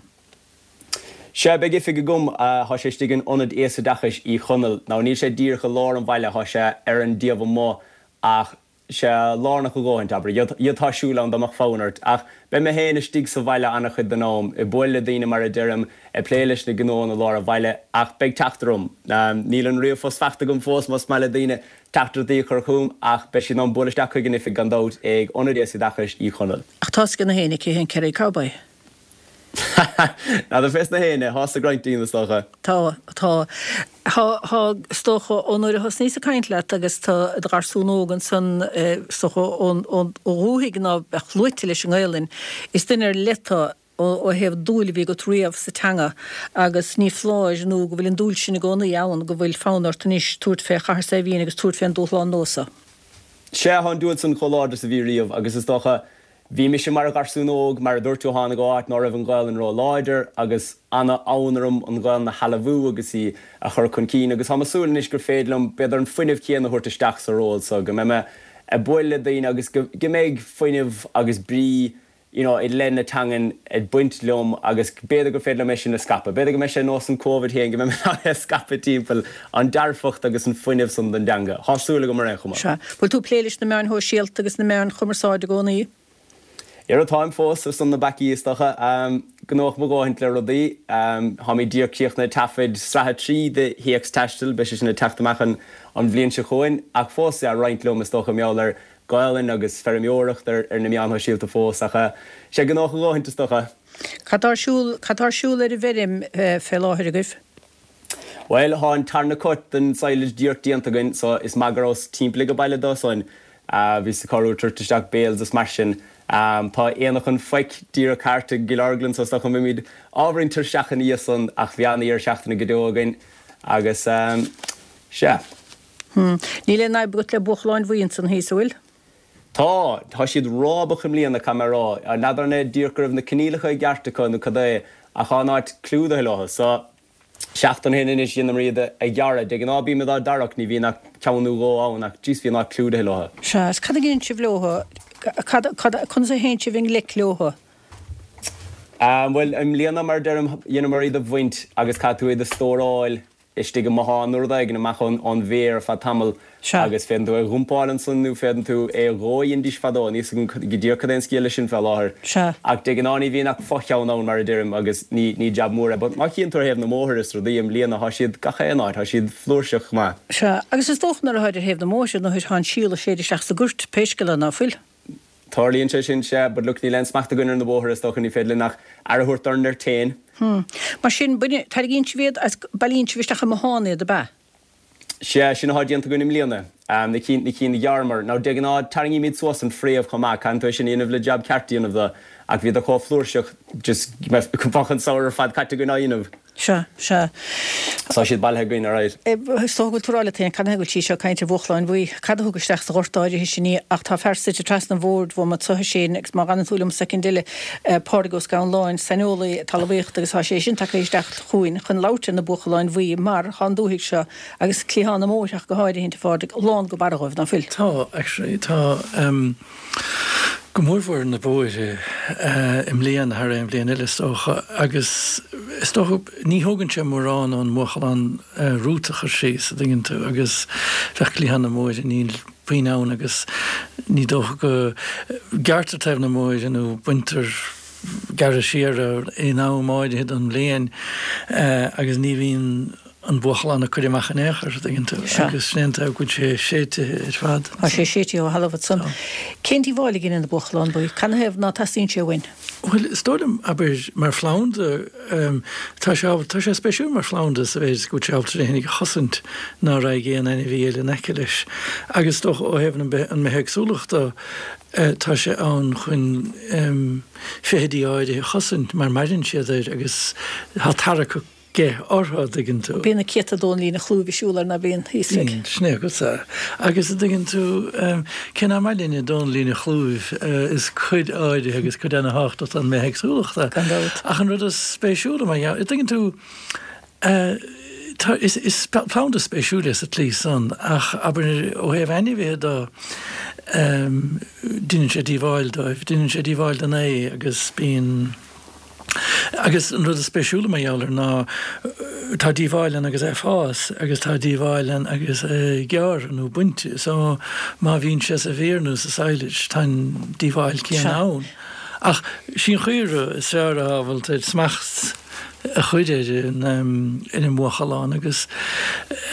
Sea, beidh oifig agam. Tá sé istigh in Ionad Aosoideachais Uí Chonaill. Now, níl sé díreach i lár an bhaile, tá sé ar an dtaobh amuigh ach sé lárnach a dhóthaint, abair. D'fhéadfá siúl ann dá mbeadh fonn ort. Ach beidh mé féin istigh sa bhaile an-chuid den am, ag bualadh le daoine mar a deirim, ag plé leis na gnóanna i lár an bhaile, ach beidh teacht orm. Níl an ríomhphost faighte agam fós, más maith le daoine teachtaireachtaí a chur chugam, ach beidh siad in ann bualadh isteach chuig an oifig gan dabht ag Ionad Aosoideachais Uí Chonaill. Ach tá 'fhios ag na héinne cé hé an Kerry Cowboy. N'fheadar fés na héinne, tá 'fhios ag roinnt daoine is dócha. Tá, tá. Tá, tá, is dócha, ó nuair a thosnaíos ag caint leat agus tú i do gharsún óg ansan, is dócha, ón, ón, ó dhúthaigh ná beadh luaite leis an nGaelainn, is duine ar leith tú ó, ó thaobh dúil a bhí agat riamh sa teanga agus ní foláir nó go bhfuil an dúil sin i gcónaí ann, go bhfuil fonn ort anois tabhairt fé Chathair Saidhbhín agus tabhairt fén dúshlán nua so. Sea, tá an dúil san chomh láidir is a bhí riamh agus is dócha, Bhí mise mar gharsún óg, mar a dúirt tú, tháinig ó áit ná raibh an Ghaelainn ró-láidir agus ana-fhonn orm an Ghaelainn a shealbhú agus í a chur chun cinn agus táim ag súil anois gur féidir liom b'fhéidir an fuinneamh céanna a thabhairt isteach sa ról so, go mbeidh mé. ag bualadh le daoine agus go mbeidh fuinneamh agus brí you know i leith na teangan ag baint liom agus b'fhéidir gur féidir liom é sin a scaipeadh. B'fhéidir go mbeidh sé nós an Covid féin go mbeidh mé in ann é a scaipeadh timpeall, an dearfacht agus an fuinneamh san don dteanga. Thá súil agam ar aon chuma. Sea. Bhfuil tú ag plé leis na meáin shóisialta agus na meáin chumarsáide i gcónaí? Dhera, táim fós, ar son na bpeacaí is dócha. Gnóthach mo dhóthaint le rudaí. Táimid díreach críochnaithe taifead sraith 3 de Théacs Taistil, beidh sé sin ag teacht amach an bhliain seo chugainn. Ach fós, sea, roinnt liom is dócha, mar gheall ar Gaelainn agus feirmeoireacht ar na meáin shóisialta fós ach sea, gnóthach a dhóthaint is dócha. Cad tá ar siúl, cad tá ar siúl ar an bhfeirm fé láthair agaibh? Bhuel, thá an tarna cut den silage díreach déanta againn so is maith go rabhas timpeall ag an baile dó san. Bhíos ag cabhrú ag tabhairt isteach bales is mar sin. Tá Aonach an Phoic díreach thart i gCill Orglan so is dócha go mbeimid ábhairín tuirseach ina dhiaidh san ach bhí ana-dheireadh seachtaine go deo againn agus sea. Níl aon fhadhb agat le buachalláin bhuí ansan thíos, an bhfuil? Tá. Tá siad rábach i mbliana, caithfidh mé a rá. N'fheadar an é díreach go raibh na coinníollacha i gceart acu nó cad é, ach tá an áit clúdaithe leo. So, seachtain ó shin anois dheineamar iad a ghearradh. De ghnáth bímid á dtarrac, ní bhíonn ach ceann nó dhó ann ach jeez bhí an áit clúdaithe leo. Sea, is cad a dheineann sibh leo? Cad, cad, conas a théann sibh i ngleic leo? Bhuel, i mbliana, mar a deirim, dheineamar iad a bhaint agus caithfidh tú iad a stóráil istigh i mbothán nó rud éigin amach ón bhféar ar feadh tamaill agus féadann tú é a dhumpáil ansan nó féadann tú é a dhó a dheindís fadó, níl 'fhios agam go díreach cad é an scéal leis sin fé láthair. Ach de ghnáth ní bhíonn ach fo-cheann ann mar a deirim agus ní ní jab mór é but má chíonn tú ar thaobh na mbóithre is rudaí i mbliana thá siad gach aon áit, thá siad flúirseach go maith. Sea, agus is dócha nuair atháid ar thaobh na mbóithre nuair thá an síol ag séideadh isteach sa gcoirt pé scéal é ná fuil. Tarlaíonn sé sin, sea, but look, níl aon smacht againn ar na bóithre, is dócha, ní féidir linn ach aire a thabhairt dár ngoirt féin. Hm. Mar sin, baine, tarraingíonn sibh iad agus bailíonn sibh isteach i mbothán iad, ab ea? Sea, sin atá déanta againn i mbliana. Na cinn, na cinn a ghearramar. Now, de ghnáth, tarraingímid suas an fréamh chomh maith, caitheann tú é sin a dhéanamh le jab ceart a dhéanamh de, ach bhíodar chomh flúirseach, just, bheadh an samhradh ar fad caite againn á dhéanamh. Sea, sea. Tá siad bailithe againn, alright. Is dócha go bhfuil tú ag rá leat féin, cad ina thaobh go bhfuil sí seo ag caint ar bhuachalláin bhuí? Cad a thug isteach sa ghort áirithe sin í? Ach tá fear suite trasna an bhoird uaim anso a Shéain agus má dh'fhanann tú liom soicind eile, Pádraig Ó Scanláin, saineolaí talmhaíochta agus tá sé sin tagtha isteach chugainn chun labhairt ar na buachalláin bhuí mar tá an dúthaigh seo agus cliathán na mbóithre ach go háirithint, a Phádraig, lán go barra dhóibh, ná fuil? Tá, actually, tá. Go mórmhór na bóithre i mbliana thar aon bhliain eile is dócha agus is dócha ní thógann sé mórán ón mbuachallán rút a chur síos a dtuigeann tú agus bheadh cliathán na mbóithre níl puinn ann agus ní dócha go gearrtar taobh na mbóithre nó baintear gearradh siar in am áirithe den bhliain agus ní bhíonn an buachalán ag cur amach in aon chor, tuigeann tú, agus sin é an taobh go bhfuil sé séidte ar fad. Tá sé séidte ó thalamh ansan. Cén díobháil a dheineann an buachalán buí? Canathaobh ná teastaíonn sé uainn? Bhuel, is dóigh liom, abair, mar phlanda, tá sé ábalta, tá sé spéisiúil mar phlanda sa mhéid is go bhfuil sé ábalta é féinig a chosaint ná raghaidh aon ainmhí eile in aice leis. Agus is dócha ó thaobh an bithéagsúlacht de, tá sé ann chun feithidí áirithe a chosaint mar maireann siad air agus tá tarrac aige orthu, a dtuigeann tú. Bíonn na céadta dónallín a chlúimh ag siúl air ná bíonn, thíos ag. Bíonn, sin é agat é. Agus a dtuigeann tú, cé nach maith linne dónallín a chlúimh, is cuid áirithe agus cuid ana-thábhachtach den mbithéagsúlacht é. Gan dabht. Ach an rud is spéisiúla mar gheall, a dtuigeann tú, tá, is, is planda spéisiúil é sa tslí san, ach abair ó thaobh ainmhithe de, deineann sé díobháil dóibh, deineann sé díobháil don ae agus bíonn, Agus an rud is spéisiúla mar gheall air ná tá díobháil ann agus é ag fás agus tá díobháil ann agus é gearrtha nó bainte. So má bhíonn sé sa bhféar nó sa silage tá an díobháil céanna ann. Ach sí an chaora is fearr atá ábalta smacht a chur ar an ar an mbuachalán agus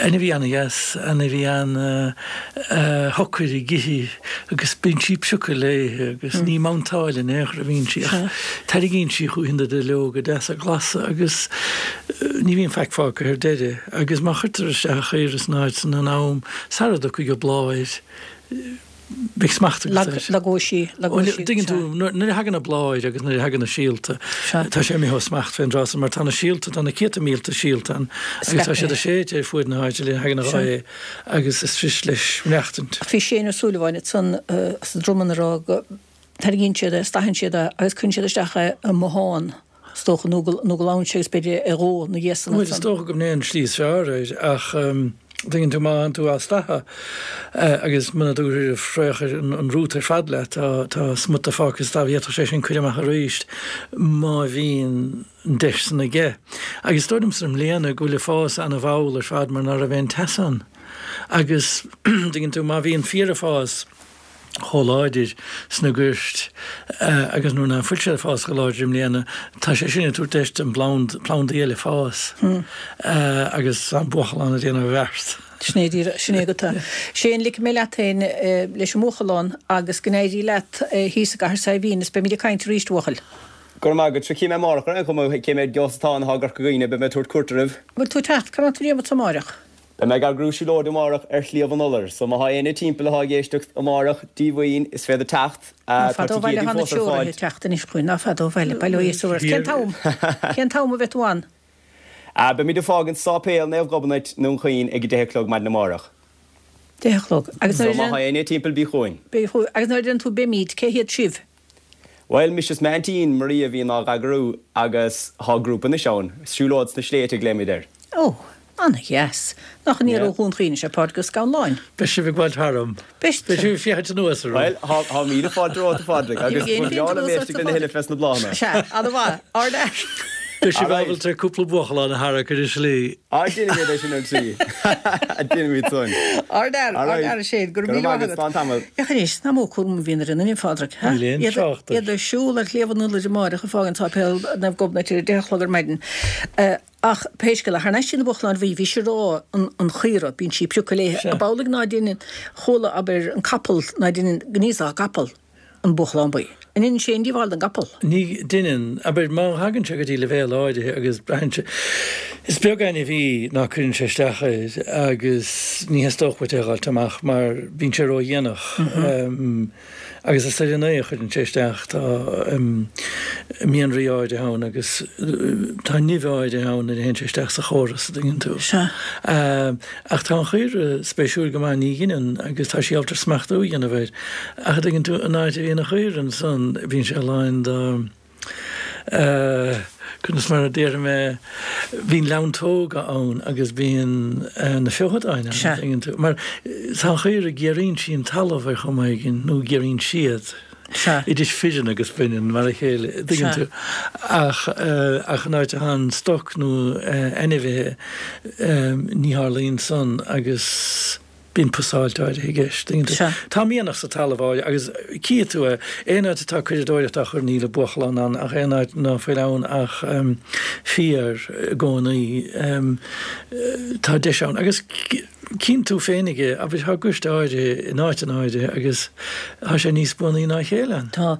ainmhí ana-dheas, ainmhí ana-shocair ag ithe agus bíonn sí ag piocadh léithe agus ní mountáil in aon chor a bhíonn sí ach Tarraingíonn sí chúithi na duilleoga deasa glasa agus ní bhíonn faic fágtha ar deireadh agus má chuirtear isteach an chaora san áit san in am sara dtiocfaidh a bláth air beidh smacht agat air. Lagóidh sí, lagóidh sí. Tuigeann tú, nuair a thagann a bláth air agus nuair a thagann na síolta, tá sé imithe ó smacht fén dtráth san mar tá na síolta, tá na céadta mílte síolta ann agus tá siad ag séideadh ar fuaid na háite nuair a thagann an ghaoth agus is fuirist leis maireachtaint. Bhí Shane Ó Súilleabháin ansan as an Dromann ag rá go Tarraingíonn siad é, stasann siad é agus cuireann siad isteach é i mbothán, is dócha, nó go nó go glanann sé agus b'fhéidir é a dhó ina dhiaidh san Bhuel, is dócha go mb'in é an tslí is fearr air, ach. Tuigeann tú, má théann tú á stathadh agus muna dtabharfaidh fraoch an rút ar fad leat, tá, tá smut de fágtha sa talamh, d'fhéadfadh sé sin cur amach arís má bhíonn an deis san aige. Agus is dóigh liomsa i mbliana go bhfuil an fás ana-mhall ar fad mar ná raibh aon teas ann. Agus, tuigeann tú, má bhíonn féar ag fás, chomh láidir sna goirt agus nuair ná fuil sé ag fás chomh láidir i mbliana, tá sé sin ag tabhairt deis don bplanda, plandaí eile fás agus an buachalán ag déanamh a bheart. Sin é díreach, sin é go tá. Shane, ligfidh mé leat féin leis an mbuachalán agus go n-éirí leat thíos i gCathair Saidhbhín is beimid ag caint arís, a bhuachaill. Go raibh maith agat. Sea, cífidh mé amárach ar aon chuma cé mhéad gios atá ann atá i gCorca Dhuibhne, beidh mé ag tabhairt cuairt oraibh. Bhfuil tú ag teacht? Cá mbeidh tú ag déanamh amárach? Beidh mé ag eagrú siúlóid amárach ar Shliabh an Iolair, so má thá éinne timpeall athá ag éisteacht amárach, díomhaoin, is féidir teacht. Ná Tá fada ó bhaile ticéidí thá na fós ar treoraithe fáil. ag teacht anois chugainn, ná fada ó bhaile, bail ó Dhia is ort. Cén t-am? Cén t-am a bheidh tú ann? Beimid ag fágaint Sáipéal Naomh Gobnait i nDún Chaoin ag a deich a chlog maidin amárach. Deich a chlog. Agus So nuair a má thá deireann. éinne timpeall bí chugainn. Bí chugainn. Agus nuair a deireann tú beimid, cé hiad sibh? Bhuel, mise is m'aintín, Maria, a bhíonn á eagrú agus thá grúpa anois ann, Siúlóid sna Sléibhte a ghlaoimid air. Ó, ana-dheas. Nach aniar Yeah. ó Dhún Chaoin is ea Pádraig Ó Scanláin? Beidh sibh ag gabháil tharam. Beidh. Beidh sibh ag féachaint anuas orm. Bhuel, thá, thá míle fáilte romhat, a Phádraig, agus Ní ba bheidh aon bhreá féachaint liom anuas éisteacht ort, a lena thuilleadh fés na bláthanna. Sea, ana-mhaith. Ard-fhear. Beidh sibh Alright. ábalta cúpla buachalán a tharrac ar an slí. Á, déanfaimid é sin ar an tslí. Déanfaimid san. Ard-fhear, Alright. ard-fhear a Shane, go raibh Go raibh míle maith maith agat, agat. slán tamall. Féach anois, nach mó cúram a bhíonn ar an nduine, a Phádraig, ha? Níl aon Iad, trácht air. iad ag siúl ar Shliabh an Iolair amáireach ag fágaint Sáipéal Naomh Gobnait ar a deich a chlog ar maidin. Ach pé scéal é, thar n-ais dtí na buachalláin bhuí, bhís ag rá an, an chaora, bíonn sí ag priocadh léithe. Sea. Ab amhlaidh ná deineann, chuala, abair, an capall, ná deineann gníosach an gcapall. an buachalán buí. An ndeineann sé aon díobháil don gcapall? Ní dheineann. Abair, má thagann sé go dtí leibhéal áirithe agus braitheann sé, is beag ainmhí ná cuireann sé isteach air agus ní theastódh uait é a dh'fháilt amach mar bíonn sé ródhéanach. Agus is ar an ae a chuireann sé isteach. Tá mianraí áirithe ann agus tá nimh áirithe ann nuair a théann sé isteach sa chóras, a dtuigeann tú. Sea. Ach tá an chaora spéisiúil go maith, ní dheineann, agus tá sí ábalta smachtú a dhéanamh air. Ach a dtuigeann tú, an áit a bhíonn an chaora ansan, bíonn sé lán de, eh, conas mar a déarfaidh mé, bíonn leantóga ann agus bíonn na feochadáin ann, Sea. a dtuigeann tú. Mar tá an chaora, géaraíonn sí an talamh ar chuma éigin, nó géaraíonn siad. Sea. Idir fireann agus baineann mar a chéile, a dtuigeann Sea. tú. Ach, ach an áit a théann stoc nó ainmhithe, ní tharlaíonn san agus bíonn pusáilt áirithe i gceist, tuigeann tú. Sea. Tá mianach sa talamh áirithe agus cífidh tú é, aon áit atá curadóireacht á chur níl an buachalán ann ach aon áit ná fuil ann ach féar i gcónaí, tá deis ann. Agus. Cíonn tú féinig é, abair, tá goirt áirithe in áiteanna áirithe agus tá sé níos buanaí ná a chéile ann. Tá.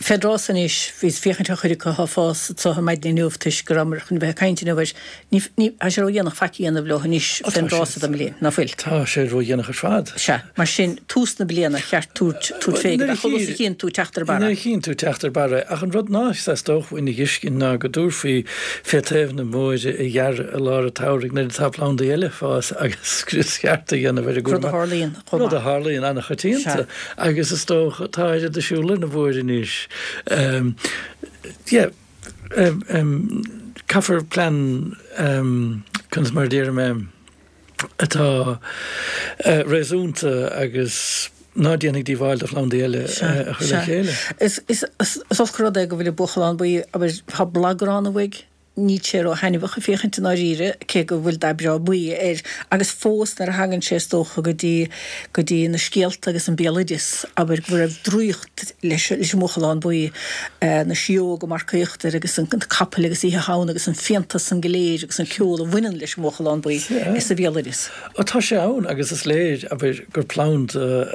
Fén dtráth so anois, bhíos ag féachaint ar chuid acu atá ag fás anso ar maidin inniu toisc go rabhamar chun a bheith ag caint inniu air. Ní, ní, tá sé ródhéanach faic a dhéanamh leo anois Ó, fén tá dtráth sé, so den mbliain, ná fuil? tá sé ródhéanach ar fad. Sea. Mar sin, tús na bliana, cheart tabhairt, tabhairt Bhuel, fé nuair go a chomh luath is a chír, chíonn tú teacht ar barra. nuair a chíonn tú teacht ar barra, ach an rud ná theastódh uainn a dh'fheiscint ná go dtabharfaí fé taobh na mbóithre a ghearradh i lár an tsamhraidh nuair atá plandaí eile ag fás agus scrios ceart a dhéanamh ar an Rud a gcúram. tharlaíonn chomh Rud a maith. tharlaíonn an-choitianta Sea. agus is dócha tá oiread ag siúl ar na bóithre anois. Yeah, caithfear plean, conas mar a déarfaidh mé, atá réasúnta agus ná déanfaidh díobháil do phlandaí eile a chur le chéile. Is olc an rud é go bhfuil an buachalán buí, abair, tá blagrán uaidh, níl sé ró-thaitneamhach ag féachaint i ndáiríre, cé go bhfuil dath breá buí air, agus fós nuair a thagann sé is dócha go dtí, go dtí na scéalta agus an béaloideas, abair, go raibh draíocht leis, leis an mbuachalán buí, na sidheoga ag marcaíocht air agus an capall agus Oíche Shamhna agus an fiántas san go léir agus an ceol a bhaineann leis an mbuachalán buí sa bhéaloideas. Ó tá sé ann agus is léir, abair, gur planda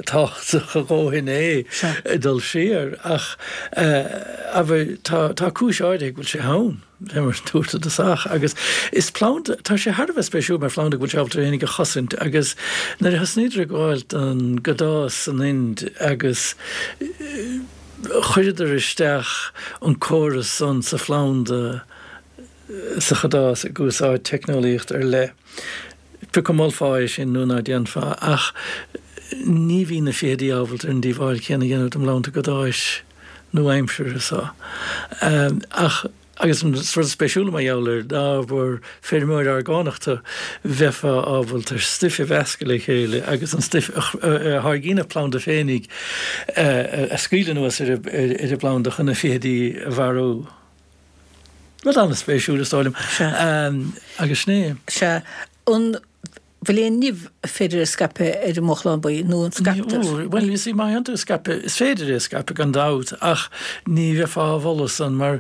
tábhachtach a dhóthain é ag dul siar ach, abair, tá, tá cúis áirithe go bhfuil sé ann, fé mar a dúirt i dtosach, agus is planda, tá sé thar a bheith spéisiúil mar phlanda go bhfuil sé ábalta é fhéinig a chosaint agus nuair a thosnaíodar ag gabháil don gcadás san Ind agus chuireadar isteach an córas san sa phlanda, sa chadás ag úsáid teicneolaíocht ar leith. Pé acu molfá é sin nó ná déanfá, ach ní bhí na feithidí ábalta ar an díobháil chéanna a dhéanamh don bplanda cadáis nua-aimseartha so. Ach. Agus an rud spéisiúla mar gheall air ná gur feirmeoir orgánach tú, bheifeá ábalta stuif a mheascadh le chéile agus an stuif a tháirgíonn an planda féinig a scaoileadh anuas ar an bplanda chun na feithidí a mharú. Rud an-spéisiúil is dóigh liom. Agus sin é. Sea. An bhfuil aon nimh ar féidir a scaipeadh ar an mbuachalán buí, nó an scaiptear? Bhuel, you see, má théann tú ag scaipeadh, is féidir é a scaipeadh gan dabht, ach ní bheifeá á mholadh san, mar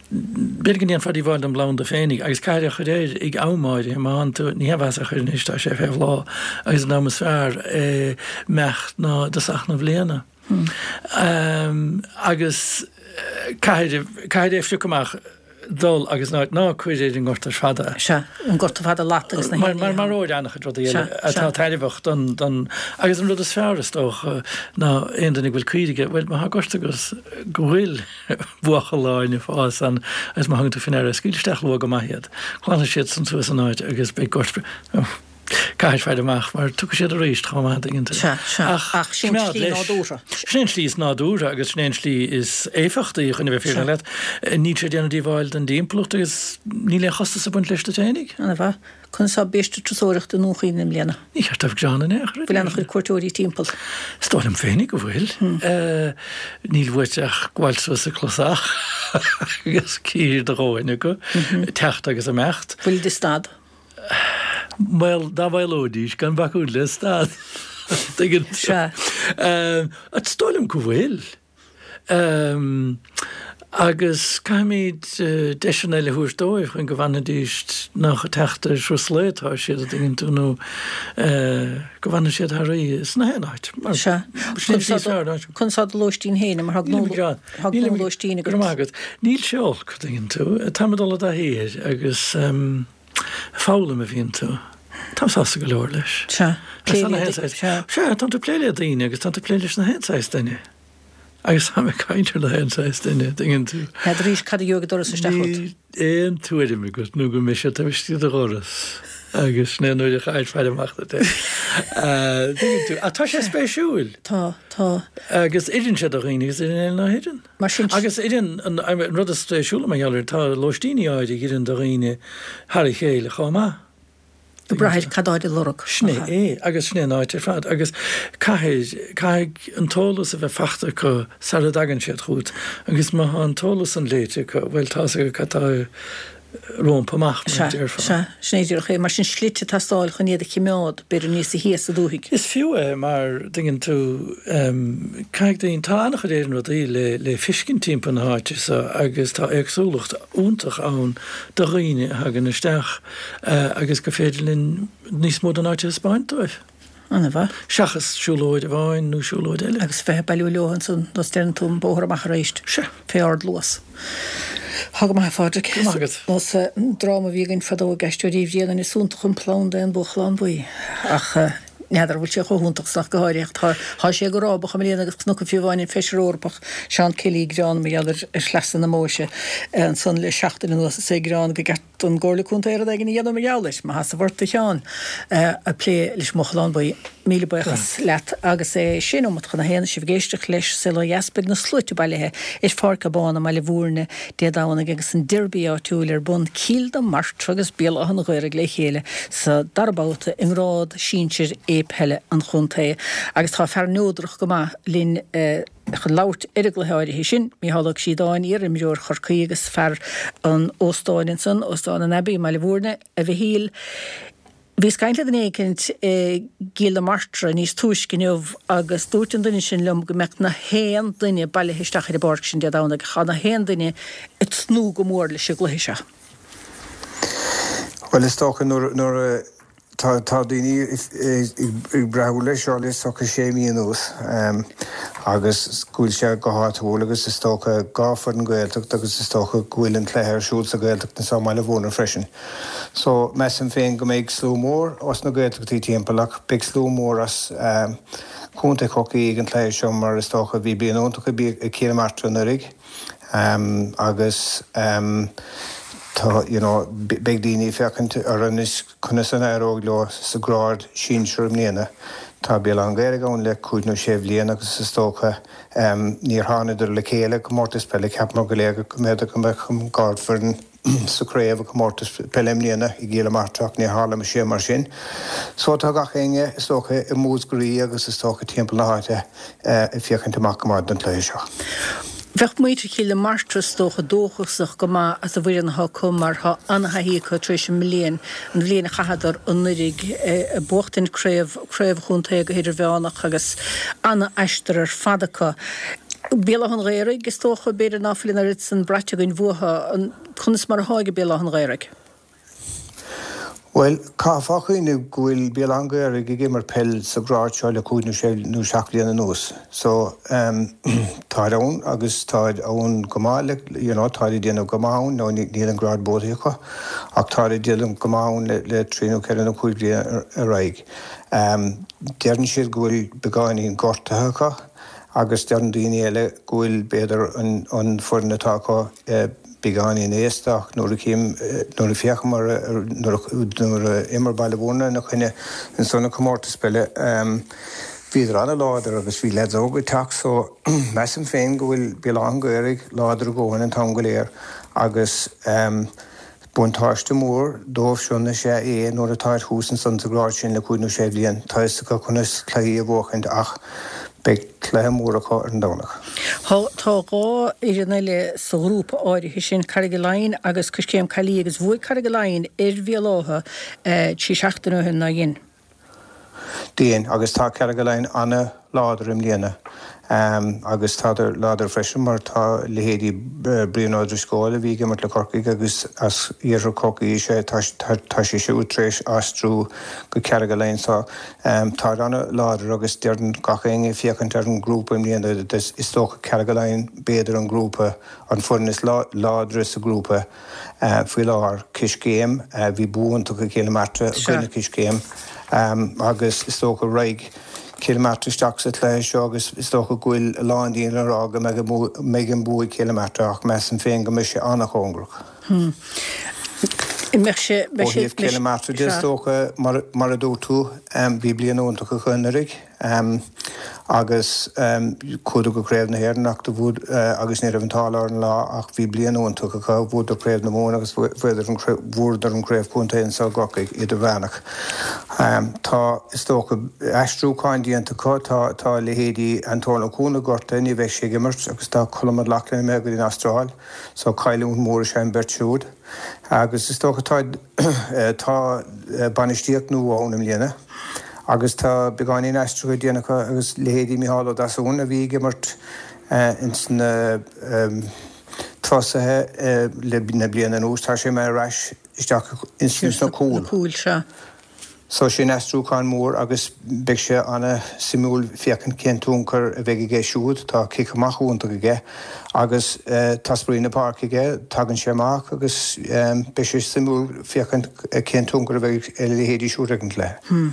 b'fhéidir go ndéanfá díobháil don bplanda féinig, agus caithfidh é a chur air ag am áirithe, má théann tú, ní haon mhaitheas é a chur anois, tá sé fé bhláth, agus an am is fearr é imeacht ná i dtosach na bliana. Agus caithfidh, caithfidh é a phriocadh amach dul agus ná, ná cuir ar an ngort ar fad é. Sea, an gorta fada lat agus na Mar, mar, maróidh an-chuid rudaí eile atá tairbheach don, don, agus an rud is fearr is dócha ná aon duine go bhfuil caoirigh aige, bhuel má tá gort agat go bhfuil buachalláin ag fás ann agus má thugann tú faoi ndeara, scaoil isteach luath go maith iad, glanfaidh siad san suas an áit agus beidh gort, Caithfidh faire amach mar tiocfaidh siad arís chomh maith, an dtuigeann tú. Sea, sea. Ach sin an tslí nádúrtha. Sin an tslí is nádúrtha agus sin an tslí is éifeachtaí chun a bheith fírinneach leat. Níl sé ag déanamh díobháil don dtimpeallacht agus níl aon chostas ag baint leis duit fhéinig. Ana mhaith. Conas tá biaiste turasóireachta i nDún Chaoin i mbliana? Ní cheart dóibh gearán in aon chor. Bhfuil ana chuid cuairteoirí timpeall? Is dóigh liom féinig go bhfuil. Níl uait ach gabháil suas an clasach agus cífir do dhóthain acu, teacht agus imeacht. Bhfuil de stad? Bhuel, dá mhaolóidís gan bacadh le stad. Tuigeann tú? Sea. Is dóigh liom go bhfuil. Agus caithfimid deiseanna eile a thabhairt dóibh chun go bhfanfaidís nach ag teacht ar thuras lae atá siad, an dtuigeann tú, nó go bhfanfaidh siad thar oíche sna haon áit. Sea. Sin an tslí is fearr. Conas tá do lóistín féin, mar tá gnólóistín agat. Go raibh maith agat. Níl sé olc, an dtuigeann tú. Táim ag dul i dtaithí air agus. Foghlaim a bhíonn tú. Táim sásta go leor leis. Sea. Plé le daoine. Sea. Sea, tánn tú ag plé le daoine agus tánn tú ag plé leis na haon saghas duine. Agus táim ag caint ar na haon saghas duine, tuigeann tú. N'fheadar arís cad a gheobhaidh an doras isteach chugat. Níl aon tuairim agat nó go mbeidh siad taobh istigh de do dhoras agus sin é an uair a chaithfidh faire amach duit é. Tuigeann tú. Ach tá sé spéisiúil. Tá, tá. Agus oireann sé do dhaoine agus oireann eile ná hoireann. Mar sin. Agus oireann, an rud is spéisiúla mar gheall air, tá lóistíní áirithe a oireann do dhaoine thar a chéile chomh maith. Ag brath ar cad táid ag lorg. Sin é é, agus sin é an áit ar fad. Agus caithfidh, caithfidh an t-eolas a bheith fachta acu sara dtagann siad chugat. Agus má tá an t-eolas san léite acu, bhuel, tá's acu cad tá rompu amach, mar a déarfá. Sea, sin é díreach é. Mar sin slite ag teastáil chun iad a chimeád, b'fhéidir níosa shia sa dúthaigh. Is fiú é mar, dtuigeann tú, caithfidh daoine, tá an-chuid Éireann rudaí le le feiscint timpeall na háite so agus tá éagsúlacht iontach ann do dhaoine a thagann isteach agus gur féidir linn níos mó den áit a thaispeáint dóibh. Ana-mhaith. Seachas siúlóid amháin nó siúlóid eile. Agus bheith ag bailiú leo ansan nós deireann tú an bóthar amach arís. Sea. Fé ard luas. Tá go maith a Phádraic. Go maith agat. Nós dráma a bhí againn fadó ag Aisteoirí Uí Bhriain is iontach an planda é an buachalán buí. Ach n'fheadar an bhfuil sé chomh hiontach san ach go háirithe. Tá tá sé go rábach i mbliana agus cnoc fiú amháin an Feisire Eorpach Seán Kelly ag gearán mar gheall ar shleasa na Móise ansan le seachtain anuas is é ag gearán go gceart don gComhairle Contae rud éigin a dhéanamh mar gheall air. Maith ort a Sheáin ag plé leis an mBuachalán Buí. Míle buíochas leat. Agus é sé nóimeat chun a haon, sibh ag éisteacht leis Saol Ó Dheas, beidh na sluaite bailithe ar Pháirc Abán i mBaile Bhúirne Dé Domhnaigh agus an Derby áitiúil ar bun, Cill na Martra agus Béal Átha an Ghaorthaidh le chéile sa dara babhta i ngrád sinsir A peile an chontae. Agus tá fear neodrach go maith linn. Chun labhairt ar an gcluiche áirithe sin, Mícheál Ó Críodáin, iar-imreoir Chorcaí agus fear an óstáin ansan, Óstán an Abbey i mBaile Bhúirne, a Mhichíl. Bhíos ag caint le duine éicint i gCill na Martra níos túisce inniu agus dúirt an duine sin liom go mbeadh na haon duine bailithe isteach ar an bpáirc sin Dé Domhnaigh. Tá na haon duine ag tnúth go mór leis an gcluiche seo. Bhuel, is dócha nuair a Tá daoine ag breathú leis seo le socha sé mí anuas agus go bhfuil sé go háitiúil agus is dócha dhá foireann Gaeltacht agus is dócha go bhfuil an cluiche ar siúl sa Ghaeltacht anseo i mBaile Bhúirne freisin. So measaim féin go mbeidh slua mór os na Gaeltachtaí timpeall ach beidh slua mór as Contae Chorcaí ag an cluiche seo mar is dócha bhí bliain iontach ag Cill na Martra anuraidh. Agus tá, you know, beidh daoine ag féachaint ar anois conas an éireoidh leo sa grád sinsir i mbliana. Tá Béal Átha an Ghaorthaidh ann le cúig nó sé bhliain agus is dócha níor thánadar le chéile i gcomórtas peile. Cheapamar go léir go mb'fhéidir go mbeadh an ardfhoireann sa chraobh i gcomórtas peile i mbliana i gCill na Martra ach níor tharla sé mar sin. So tá gach éinne is dócha i Múscraí agus is dócha timpeall na háite ag féachaint amach go maith don chluiche seo. Bheadh muintir Chill na Martra is dócha dóchasach go maith as an bhfoireann atá acu mar tá an-thaithí acu tar éis an mbliain, an bhliain a chaitheadar anuiridh ag buachtaint craobh, craobh chontae go hidirmheánach agus an-aistear ar fad acu. Béal Átha an Ghaorthaidh, is dócha, b'fhéidir ná fuil an oiread san braite againn uathu. Conas mar atá ag Béal Átha an Ghaorthaidh? Bhuel, caithfeá cuimhneamh go bhfuil Béal Átha an Ghaorthaidh ag imirt peil sa ghrád seo le cúig nó sé nó seacht bhliain anuas. So, táid ann agus táid ann go maith le, you know, táid ag déanamh go maith ann, nó níl an grád buaite acu, ach táid ag déanamh go maith ann le trí nó ceithre nó cúig bliana ar aghaidh. Deireann siad go bhfuil beagáinín gortaithe acu agus deireann daoine eile go bhfuil, b'fhéidir, an foireann atá acu, beagáinín aosta ach nuair a chím, nuair a féachaim ar, nuair a imir Baile Mhúirne ina choinne ansan i comórtas peile, bhíodar an-láidir agus bhí leaids óga ag teacht so measaim féin go bhfuil Béal Átha an Ghaorthaidh láidir a dhóthain an t-am go léir agus Buntáiste mór dóibhsean is ea é nuair atáid thuas ansan sa ghrád sin le cúig nó sé bhliain. Tá fhios acu conas cluichí a bhuachaint ach beidh cluiche mór acu ar an Domhnach. Tá 2 fhoireann eile sa ghrúpa áirithe sin, Carraig Laighin agus Coiscéim Caillí agus bhuaigh Carraig Laighin ar Bhéal Átha 3 seachtaine ó shin, nár dhein? Dhein, agus tá Carraig Laighin an-láidir i mbliana. Agus tádar láidir freisin mar tá leithéidí Brian Ó Drisceoil a bhí ag imirt le Corcaigh agus as iarthar Chorcaí is ea tá tá sé siúd tar éis aistriú go Carraig Laighin so táid an-láidir agus deireann gach éinne ag féachaint ar an ngrúpa i mbliana is dócha Carraig Laighin b'fhéidir an grúpa an foireann is láidre sa ghrúpa. Faoi láthair, Coiscéim, bhí bua iontach ag Cill na Martra i gcoinne Coiscéim agus is dócha raghaidh Cill na Martra isteach sa chluiche seo agus is dócha go bhfuil a lán daoine ag rá go mbeidh an bua ag Cill na Martra ach measaim féin go mbeidh sé an-chóngarach. Ó thaobh Cill na Martra de is dócha, mar a dúirt tú, bhí bliain iontach acu anuraidh. Agus chuadar go Craobh na hÉireann ach do bhuad agus ní raibh an t-ádh leo ar an lá ach bhí bliain iontach acu, bhuadar Craobh na Mumhan agus bhuadar an bhuadar an Craobh Chontae anseo i gCorcaigh, idirmheánach. Tá, is dócha, aistriúcháin déanta acu, tá tá leithéidí Antóin Ó Cuana gortaithe, ní bheidh sé ag imirt agus tá Colm Mac Lochlainn imithe go dtí an Astráil so cailliúint mhór is ea an bheirt siúd. Agus is dócha tá tá bainistíocht nua ann i mbliana agus tá beagáinín aistrithe déanta acu agus leithéidí Micheál Ó Deasúin a bhí ag imirt ins na tosaithe le na bliana anuas, tá sé imithe ar ais isteach ins na cúil. So sin aistriúchán mór agus beidh sé ana-suimiúil féachaint cén tionchar a bheidh aige siúd. Tá cic amach iontach aige agus tá spraoi na páirce aige, tagann sé amach agus beidh sé suimiúil féachaint cén tionchar a bheidh ag a leithéidí siúd ar an gcluiche.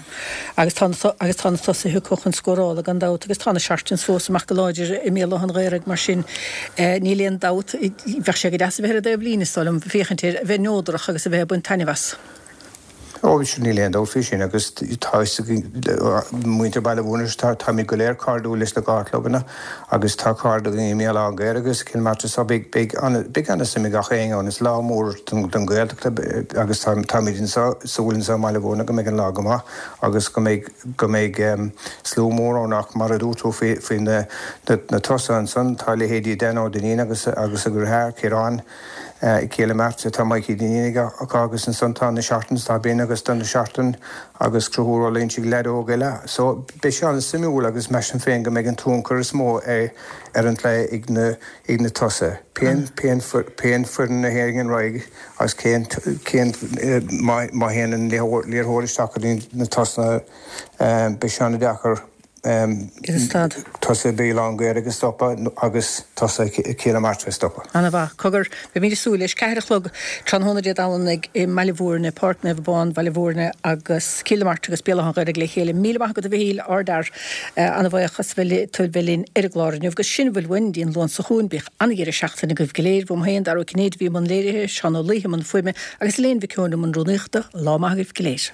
Agus tá na agus tá na tosaithe acu chun scórála gan dabht agus tá na Seartans fós amach go láidir i mBéal Átha an Ghaorthaidh mar sin níl aon dabht, bheadh sé go deas a bheith ar an dtaobh líne is dóigh liom, féachaint air, a bheith neodrach agus a bheith ag baint taitneamh as. Ó, sin, níl aon dabht faoi sin agus tá fhios ag muintir Baile Mhúirne, táimid go léir cairdiúil leis na dhá chlubanna agus tá cairde againn i mBéal Átha an Ghaorthaidh agus Cill Martra so beidh, beidh ana, beidh ana suim ag gach éinne ann. Is lá mór don, don Ghaeltacht agus tá, táimid anseo, súil anseo i mBaile Mhúirne go mbeidh an lá go maith agus go mbeidh, go mbeidh slua mór ann ach mar a dúirt tú faoi, faoi na, na, na tosaithe ansan, tá leithéidí Dan Ó Duinnín agus, agus a dheartháir Ciarán, I gCill Martra tá Mikey Dineen acu agus ansan tá na Seartans, tá Ben agus Donagh Seartan agus Conchúr Ó Loingsigh, leaid óg eile. So beidh sé an-suimiúil agus measaim féin go mbeidh an tionchar is mó ar an gcluiche ag na ag na tosaithe. Pén pén pén foireann a théann ar aghaidh agus cén cén má má théann an liathróid isteach go dtí na tosaithe beidh sé an-deacair Tosaithe Bhéal Átha an Ghaorthaidh a stopadh agus tosaithe Chill na Martra a stopadh. Ana mhaith. Cogar, beimid ag súil leis. 4 a chlog tráthnóna Dé Domhnaigh i mBaile Mhúirne, Páirc Naomh Abán, Baile Mhúirne agus Cill na Martra agus Béal Átha an Ghaorthaidh le chéile. Míle maith agat a Mhichíl, ardfhear. Ana bhuíoch as bheith tú bheith linn ar an gclár inniu agus sin a bhfuil uainn go dtí an Luan seo chugainn. Bíodh ana-dheireadh seachtaine agaibh go léir. Uaim féin, Dara Ó Cinnéide a bhí i mbun léirithe, Seán Ó Laoithe i mbun fuaime agus Elaine Mhic Eoin i mbun rúnaíochta. Lá maith agaibh go léir.